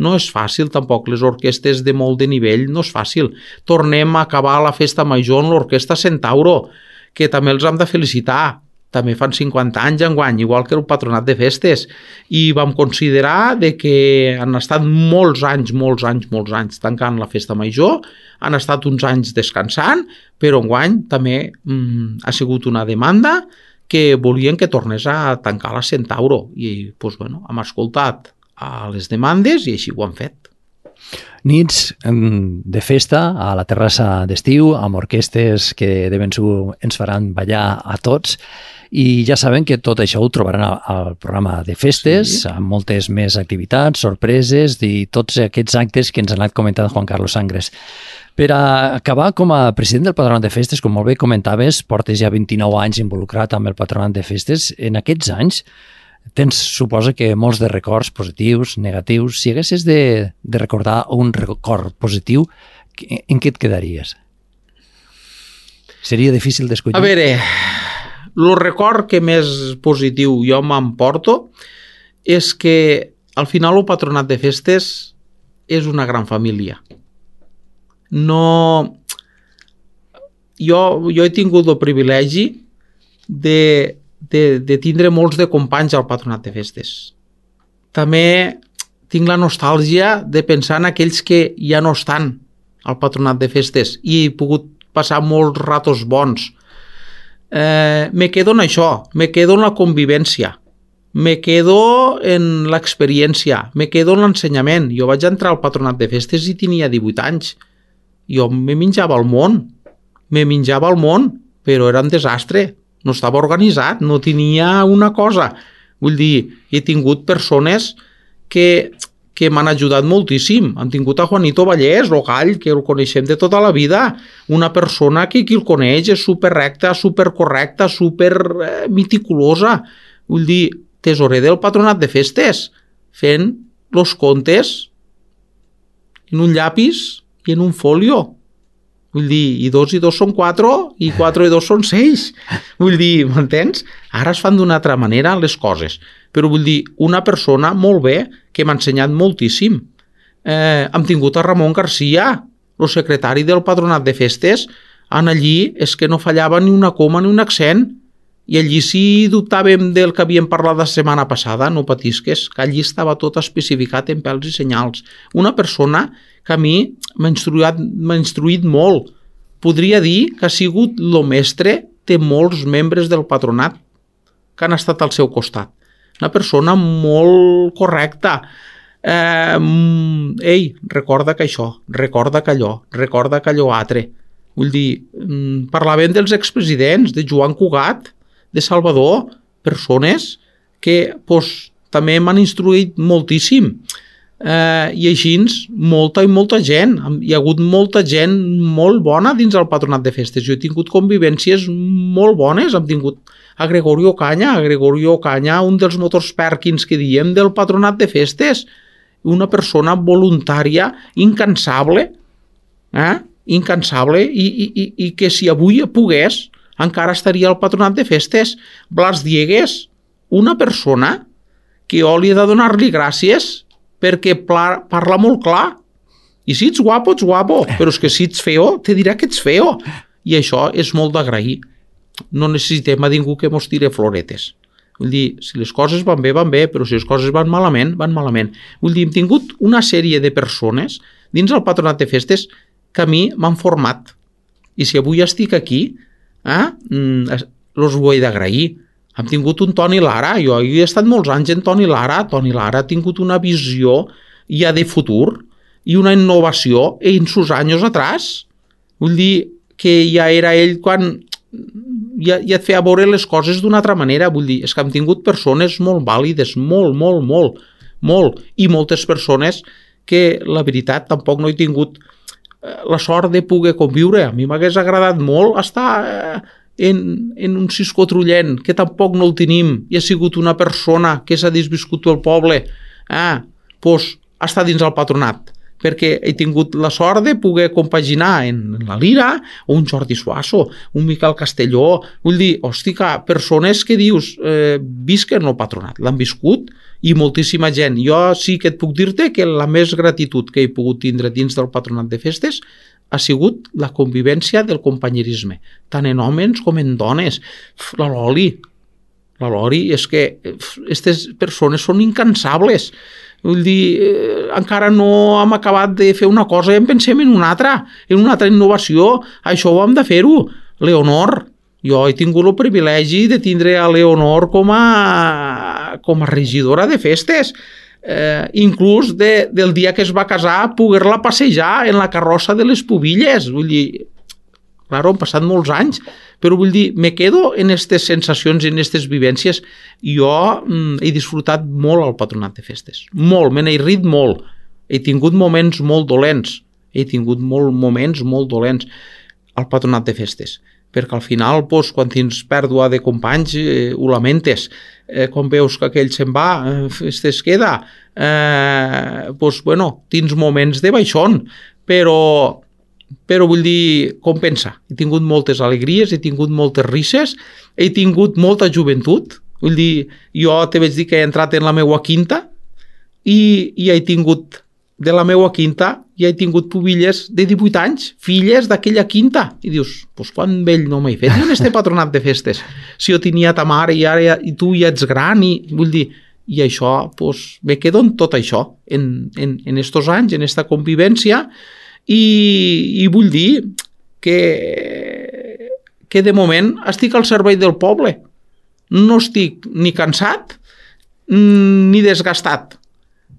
No és fàcil tampoc, les orquestes de molt de nivell no és fàcil. Tornem a acabar la festa major amb l'orquestra Centauro, que també els hem de felicitar. També fan cinquanta anys enguany, igual que el Patronat de Festes, i vam considerar de que han estat molts anys, molts anys, molts anys tancant la festa major, han estat uns anys descansant, però enguany també mm, ha sigut una demanda que volien que tornés a tancar la Centauro, i doncs, bueno, hem escoltat a les demandes i així ho han fet. Nits de festa a la terrassa d'estiu, amb orquestes que de ben segur ens faran ballar a tots, i ja saben que tot això ho trobaran al programa de festes, sí, amb moltes més activitats, sorpreses i tots aquests actes que ens ha anat comentant Juan Carlos Sangres. Per a acabar, com a president del Patronat de Festes, com molt bé comentaves, portes ja vint-i-nou anys involucrat amb el Patronat de Festes. En aquests anys tens, suposa que molts de records positius, negatius. Si haguessis de, de recordar un record positiu, en què et quedaries? Seria difícil d'escollir? A veure, el record que més positiu jo m'emporto és que al final el Patronat de Festes és una gran família. No... Jo, jo he tingut el privilegi de, de, de tindre molts de companys al Patronat de Festes. També tinc la nostàlgia de pensar en aquells que ja no estan al Patronat de Festes i he pogut passar molts ratos bons. Eh, me quedo en això, me quedo en la convivència, me quedo en l'experiència, me quedo en l'ensenyament. Jo vaig entrar al Patronat de Festes i tenia divuit anys. Jo me menjava el món, me menjava el món, però era un desastre, no estava organitzat, no tenia una cosa. Vull dir, he tingut persones que, que m'han ajudat moltíssim. Hem tingut a Juanito Vallès, el gall, que el coneixem de tota la vida, una persona que qui el coneix és superrecta, supercorrecta, super eh, meticulosa. Vull dir, tesorer del Patronat de Festes, fent els comptes en un llapis i en un folio. Vull dir, i dos i dos són quatre, i quatre i dos són sis. Vull dir, m'entens? Ara es fan d'una altra manera les coses. Però vull dir, una persona molt bé, que m'ha ensenyat moltíssim. Eh, hem tingut a Ramon Garcia, el secretari del Patronat de Festes, en allí és que no fallava ni una coma ni un accent. I allí si dubtàvem del que havíem parlat la setmana passada, no patisques, que allí estava tot especificat en pèls i senyals. Una persona que a mi m'ha instruït, m'ha instruït molt. Podria dir que ha sigut el mestre de molts membres del patronat que han estat al seu costat. Una persona molt correcta. Eh, ei, recorda que això, recorda que allò, recorda que allò altre. Vull dir, parlàvem dels expresidents, de Joan Cugat, de Salvador, persones que pues, també m'han instruït moltíssim. eh, i així molta i molta gent. Hi ha hagut molta gent molt bona dins el Patronat de Festes. Jo he tingut convivències molt bones, hem tingut a Gregorio Canya, a Gregorio Canya, un dels motors Perkins que diem del Patronat de Festes, una persona voluntària, incansable, eh? incansable, i, i, i que si avui pogués, encara estaria al Patronat de Festes. Blas Diegues, una persona que jo li he de donar-li gràcies perquè parla molt clar. I si ets guapo, ets guapo, però és que si ets feo, te dirà que ets feo. I això és molt d'agrair. No necessitem a ningú que mos tire floretes. Vull dir, si les coses van bé, van bé, però si les coses van malament, van malament. Vull dir, hem tingut una sèrie de persones dins el Patronat de Festes que a mi m'han format. I si avui estic aquí, eh, els ho he d'agrair. Hem tingut un Toni Lara, jo he estat molts anys en Toni Lara, Toni Lara ha tingut una visió ja de futur i una innovació en sus anys atrás. Vull dir que ja era ell quan ja, ja et feia veure les coses d'una altra manera. Vull dir, és que hem tingut persones molt vàlides, molt, molt, molt, molt, i moltes persones que la veritat tampoc no he tingut la sort de poder conviure. A mi m'hagués agradat molt estar en, en un Cisco Trullent, que tampoc no el tenim, i ha sigut una persona que s'ha desviscut pel poble, eh, doncs està dins el Patronat, perquè he tingut la sort de poder compaginar en la Lira, o un Jordi Suasso, un Miquel Castelló. Vull dir, hòstia, persones que dius, eh, visquen el Patronat, l'han viscut, i moltíssima gent. Jo sí que et puc dir-te que la més gratitud que he pogut tindre dins del Patronat de Festes ha sigut la convivència del companyerisme, tant en homes com en dones. La Loli, la Loli, és que aquestes persones són incansables. Vull dir, eh, encara no hem acabat de fer una cosa i en pensem en una altra, en una altra innovació. Això ho hem de fer-ho. Leonor, jo he tingut el privilegi de tindre a Leonor com a, com a regidora de festes. Eh, inclús de, del dia que es va casar, poder-la passejar en la carrossa de les Pubilles. Vull dir, clar, han passat molts anys, però vull dir, me quedo en aquestes sensacions, en aquestes vivències. Jo mm, he disfrutat molt al Patronat de Festes, molt, me n'he rit molt. He tingut moments molt dolents, he tingut molt, moments molt dolents al Patronat de Festes, perquè al final, doncs, quan tens pèrdua de companys, eh, ho lamentes. Eh, quan veus que aquell se'n va, eh, es queda, eh, doncs, bueno, tens moments de baixón, però, però vull dir, compensa. He tingut moltes alegries, he tingut moltes risses, he tingut molta joventut. Vull dir, jo te vaig dir que he entrat en la meua quinta i, i he tingut, de la meua quinta, ja he tingut pubilles de divuit anys, filles d'aquella quinta. I dius, pues quan vell no m'he fet jo en este Patronat de Festes? Si jo tenia ta mare i ara i tu ja ets gran, i vull dir, i això, pues, me quedo en tot això, en, en, en estos anys, en esta convivència, i, i vull dir que, que de moment estic al servei del poble. No estic ni cansat ni desgastat.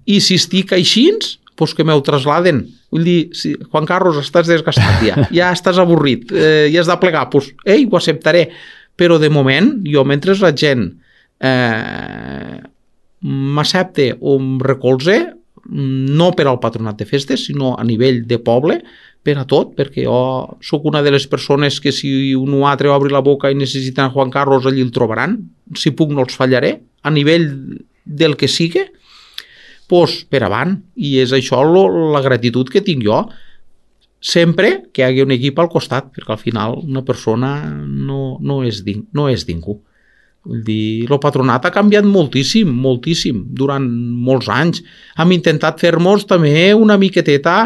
I si estic així, doncs que m'ho trasladen. Vull dir, si, Juan Carlos, estàs desgastat ja, ja estàs avorrit, eh, ja has de plegar, doncs, ei, ho acceptaré. Però de moment, jo mentre la gent eh, m'accepte o em recolze, no per al Patronat de Festes, sinó a nivell de poble, per a tot, perquè jo sóc una de les persones que si un o altre obri la boca i necessiten Juan Carlos, allí el trobaran. Si puc no els fallaré, a nivell del que sigui, doncs per avant. I és això lo, la gratitud que tinc jo, sempre que hi hagi un equip al costat, perquè al final una persona no, no, és, ding, no és ningú. Vull dir, el Patronat ha canviat moltíssim, moltíssim, durant molts anys. Hem intentat fer-nos també una miqueteta,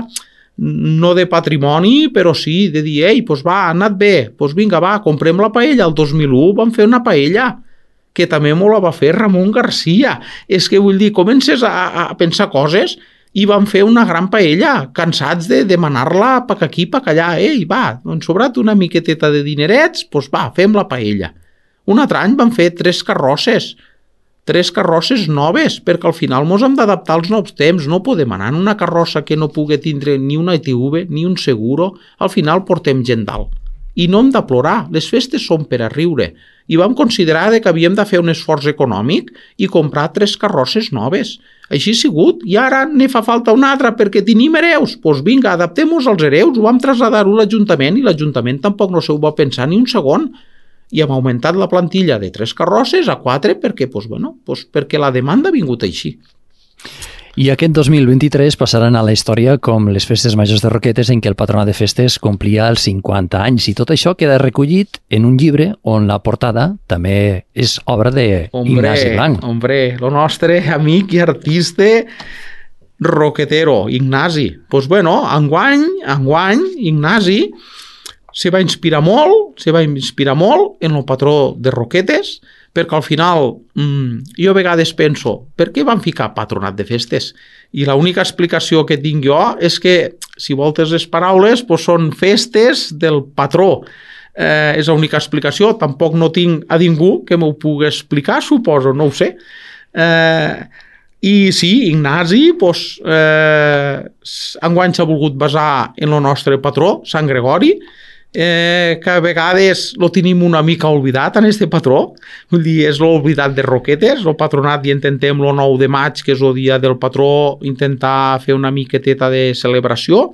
no de patrimoni, però sí, de dir, ei, doncs va, ha anat bé, doncs vinga, va, comprem la paella. El dos mil u vam fer una paella, que també molt la va fer Ramon Garcia. És que vull dir, comences a, a pensar coses i van fer una gran paella, cansats de demanar-la pa aquí, pa allà. Ei, va, han sobrat una miqueteta de dinerets, doncs va, fem la paella. Un altre any van fer tres carrosses, tres carrosses noves, perquè al final mos hem d'adaptar als nous temps. No podem anar en una carrossa que no pugui tindre ni una I T V, ni un seguro. Al final portem gent dalt. I no hem de plorar, les festes són per a riure. i vam considerar que havíem de fer un esforç econòmic i comprar tres carrosses noves. Així ha sigut, i ara ne fa falta una altra perquè tenim hereus. Doncs pues vinga, adaptem-nos als hereus, ho vam traslladar-ho a l'Ajuntament i l'Ajuntament tampoc no s'ho va pensar ni un segon. I hem augmentat la plantilla de tres carrosses a quatre perquè, pues, bueno, pues perquè la demanda ha vingut així. I aquest dos mil vint-i-tres passaran a la història com les festes majors de Roquetes en què el Patronat de Festes complia els cinquanta anys i tot això queda recollit en un llibre on la portada també és obra d'Ignasi Blanc. Hombre, el nostre amic i artista roquetero, Ignasi. Doncs pues bueno, enguany, enguany, Ignasi se va inspirar molt, se va inspirar molt en el patró de Roquetes, perquè al final mmm, jo a vegades penso, per què van ficar Patronat de Festes? I l'única explicació que tinc jo és que, si voltes les paraules, doncs són festes del patró. Eh, és l'única explicació, tampoc no tinc a ningú que m'ho pugui explicar, suposo, no ho sé. Eh, I sí, Ignasi, doncs, eh, enguany s'ha volgut basar en el nostre patró, Sant Gregori, Eh, que a vegades lo tenim una mica oblidat en este patró, vull dir, és l'oblidat de Roquetes, el patronat i intentem el nou de maig, que és el dia del patró, intentar fer una miqueteta de celebració,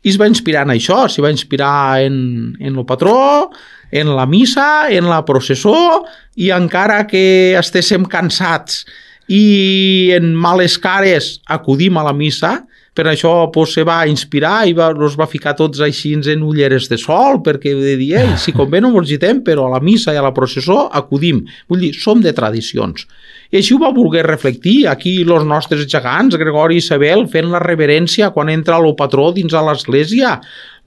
i es va inspirar en això, s'hi va inspirar en, en el patró, en la missa, en la processó, i encara que estéssim cansats i en males cares acudim a la missa. Per això pues, se va inspirar i va, els va ficar tots així en ulleres de sol, perquè de dir, ei, si convé no ens agitem, però a la missa i a la processó acudim. Vull dir, som de tradicions. I així ho va voler reflectir aquí els nostres gegants, Gregori i Isabel, fent la reverència quan entra el patró dins a l'església.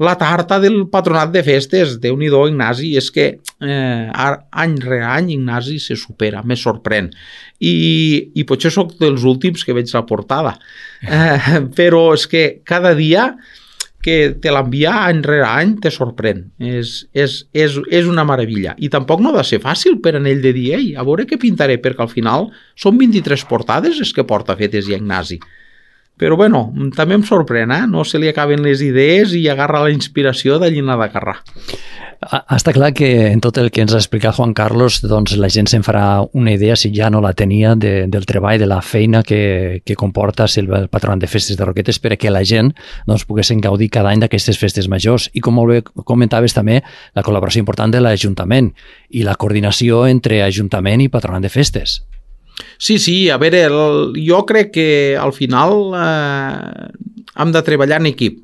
La tarta del Patronat de Festes, Déu-n'hi-do, Ignasi, és que eh, any rere any Ignasi se supera, me sorprèn. I, i potser sóc dels últims que veig la portada. Eh, però és que cada dia que te l'envia any rere any te sorprèn. És, és, és, és una meravella. I tampoc no ha de ser fàcil per en ell de dir, ei, a veure què pintaré, perquè al final són vint-i-tres portades les que porta fetes i Ignasi. Però bueno, també em sorprèn, eh? No se li acaben les idees i agarra la inspiració d'allí a de Carrà. Està clar que en tot el que ens ha explicat Juan Carlos, doncs la gent se'n farà una idea, si ja no la tenia, de, del treball, de la feina que, que comporta ser el Patronat de Festes de Roquetes perquè la gent doncs, poguessin gaudir cada any d'aquestes festes majors. I com molt bé comentaves també, la col·laboració important de l'Ajuntament i la coordinació entre Ajuntament i Patronat de Festes. Sí, sí, a veure, el, jo crec que al final eh, hem de treballar en equip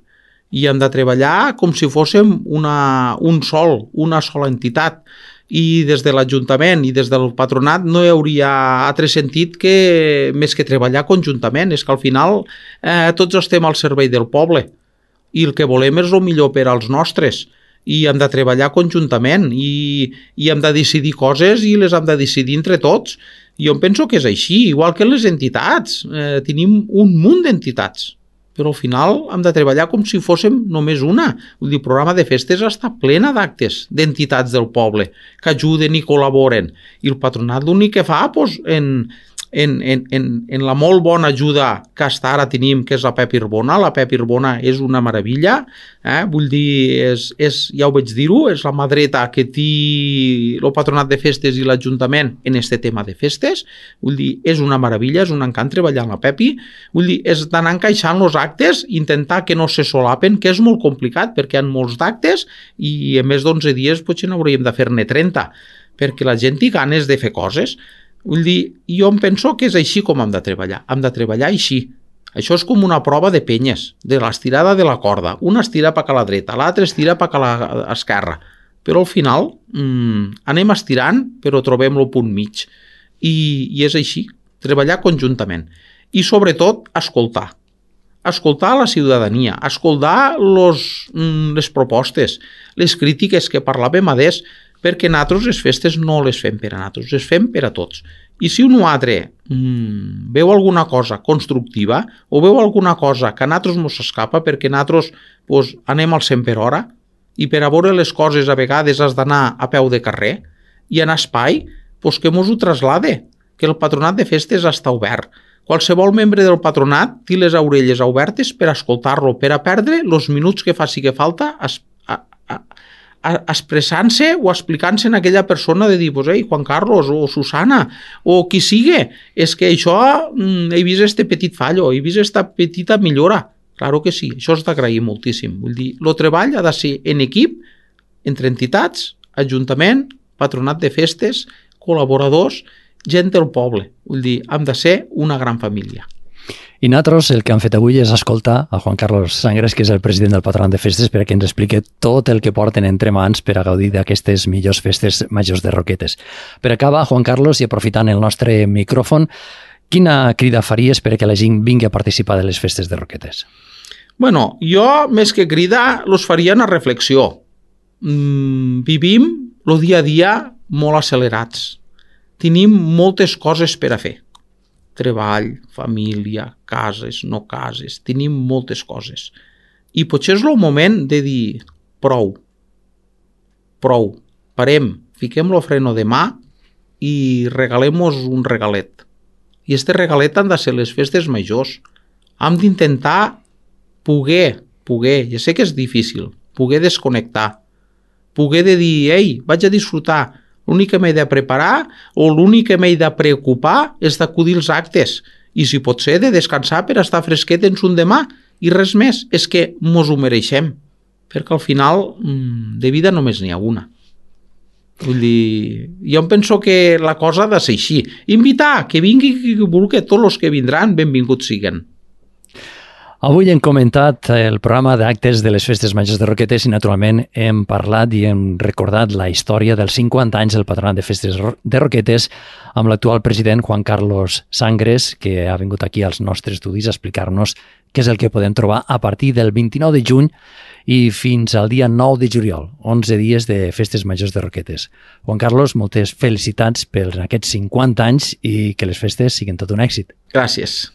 i hem de treballar com si fóssim una, un sol, una sola entitat, i des de l'Ajuntament i des del Patronat no hi hauria altre sentit que més que treballar conjuntament. És que al final eh, tots estem al servei del poble i el que volem és el millor per als nostres, i hem de treballar conjuntament i, i hem de decidir coses i les hem de decidir entre tots. I jo penso que és així, igual que les entitats. Eh, tenim un munt d'entitats, però al final hem de treballar com si fóssim només una. Vull dir, el programa de festes està plena d'actes d'entitats del poble que ajuden i col·laboren. I el patronat l'únic que fa, doncs, en, en, en, en, en la molt bona ajuda que hasta ara tenim, que és la Pep Irbona. La Pep Irbona és una meravella, eh? Vull dir, és, és, ja ho vaig dir-ho, és la mà dreta que té el Patronat de Festes i l'Ajuntament en este tema de festes. Vull dir, és una meravella, és un encant treballar amb la Pepi. Vull dir, és d'anar encaixant els actes, intentar que no se solapen, que és molt complicat perquè hi ha molts d'actes i en més d'onze dies potser n'hauríem de fer-ne trenta, perquè la gent té ganes de fer coses. Vull dir, jo em penso que és així com hem de treballar. Hem de treballar així. Això és com una prova de penyes, de l'estirada de la corda. Una estira per a la dreta, l'altra estira per a l'esquerra. Però al final mmm, anem estirant, però trobem el punt mig. I, i és així, treballar conjuntament. I sobretot, escoltar. Escoltar la ciutadania, escoltar los, mm, les propostes, les crítiques que parlàvem adés, perquè nosaltres les festes no les fem per a nosaltres, les fem per a tots. I si un altre mmm, veu alguna cosa constructiva o veu alguna cosa que a nosaltres ens escapa, perquè nosaltres pues, anem al cent per hora i per a veure les coses a vegades has d'anar a peu de carrer i en espai, pues, que mos ho traslade, que el Patronat de Festes està obert. Qualsevol membre del patronat té les orelles obertes per escoltar-lo, per a perdre els minuts que faci que falta a, a, expressant-se o explicant-se en aquella persona de dir, pues, ei, Juan Carlos o Susana o qui sigui, és que això mm, he vist este petit fallo, he vist esta petita millora. Claro que sí, això és d'agrair moltíssim. Vull dir, el treball ha de ser en equip, entre entitats, ajuntament, patronat de festes, col·laboradors, gent del poble. Vull dir, hem de ser una gran família. I nosaltres el que hem fet avui és escoltar a Juan Carlos Sangres, que és el president del Patronat de Festes, perquè ens expliqui tot el que porten entre mans per a gaudir d'aquestes millors festes majors de Roquetes. Per acabar, Juan Carlos, i aprofitant el nostre micròfon, quina crida faries perquè la gent vingui a participar de les festes de Roquetes? Bueno, jo, més que crida, los faria una reflexió. Mm, vivim el dia a dia molt accelerats. Tenim moltes coses per a fer. Treball, família, cases, no cases, tenim moltes coses. I potser és el moment de dir prou, prou, parem, fiquem el freno de mà i regalem-nos un regalet. I este regalet han de ser les festes majors. Hem d'intentar poder, poder, ja sé que és difícil, poder desconnectar, poder de dir, ei, vaig a disfrutar. L'únic que m'he de preparar o l'únic que m'he de preocupar és d'acudir als actes i si pot ser de descansar per estar fresquet en un demà i res més, és que mos ho mereixem perquè al final de vida només n'hi ha una. Vull dir, jo em penso que la cosa ha de ser així. Invitar, que vingui qui vulgui, tots els que vindran, benvinguts siguen. Avui hem comentat el programa d'actes de les festes majors de Roquetes i naturalment hem parlat i hem recordat la història dels cinquanta anys del Patronat de Festes de Roquetes amb l'actual president Juan Carlos Sangres, que ha vingut aquí als nostres estudis a explicar-nos què és el que podem trobar a partir del vint-i-nou de juny i fins al dia nou de juliol, onze dies de festes majors de Roquetes. Juan Carlos, moltes felicitats per aquests cinquanta anys i que les festes siguin tot un èxit. Gràcies.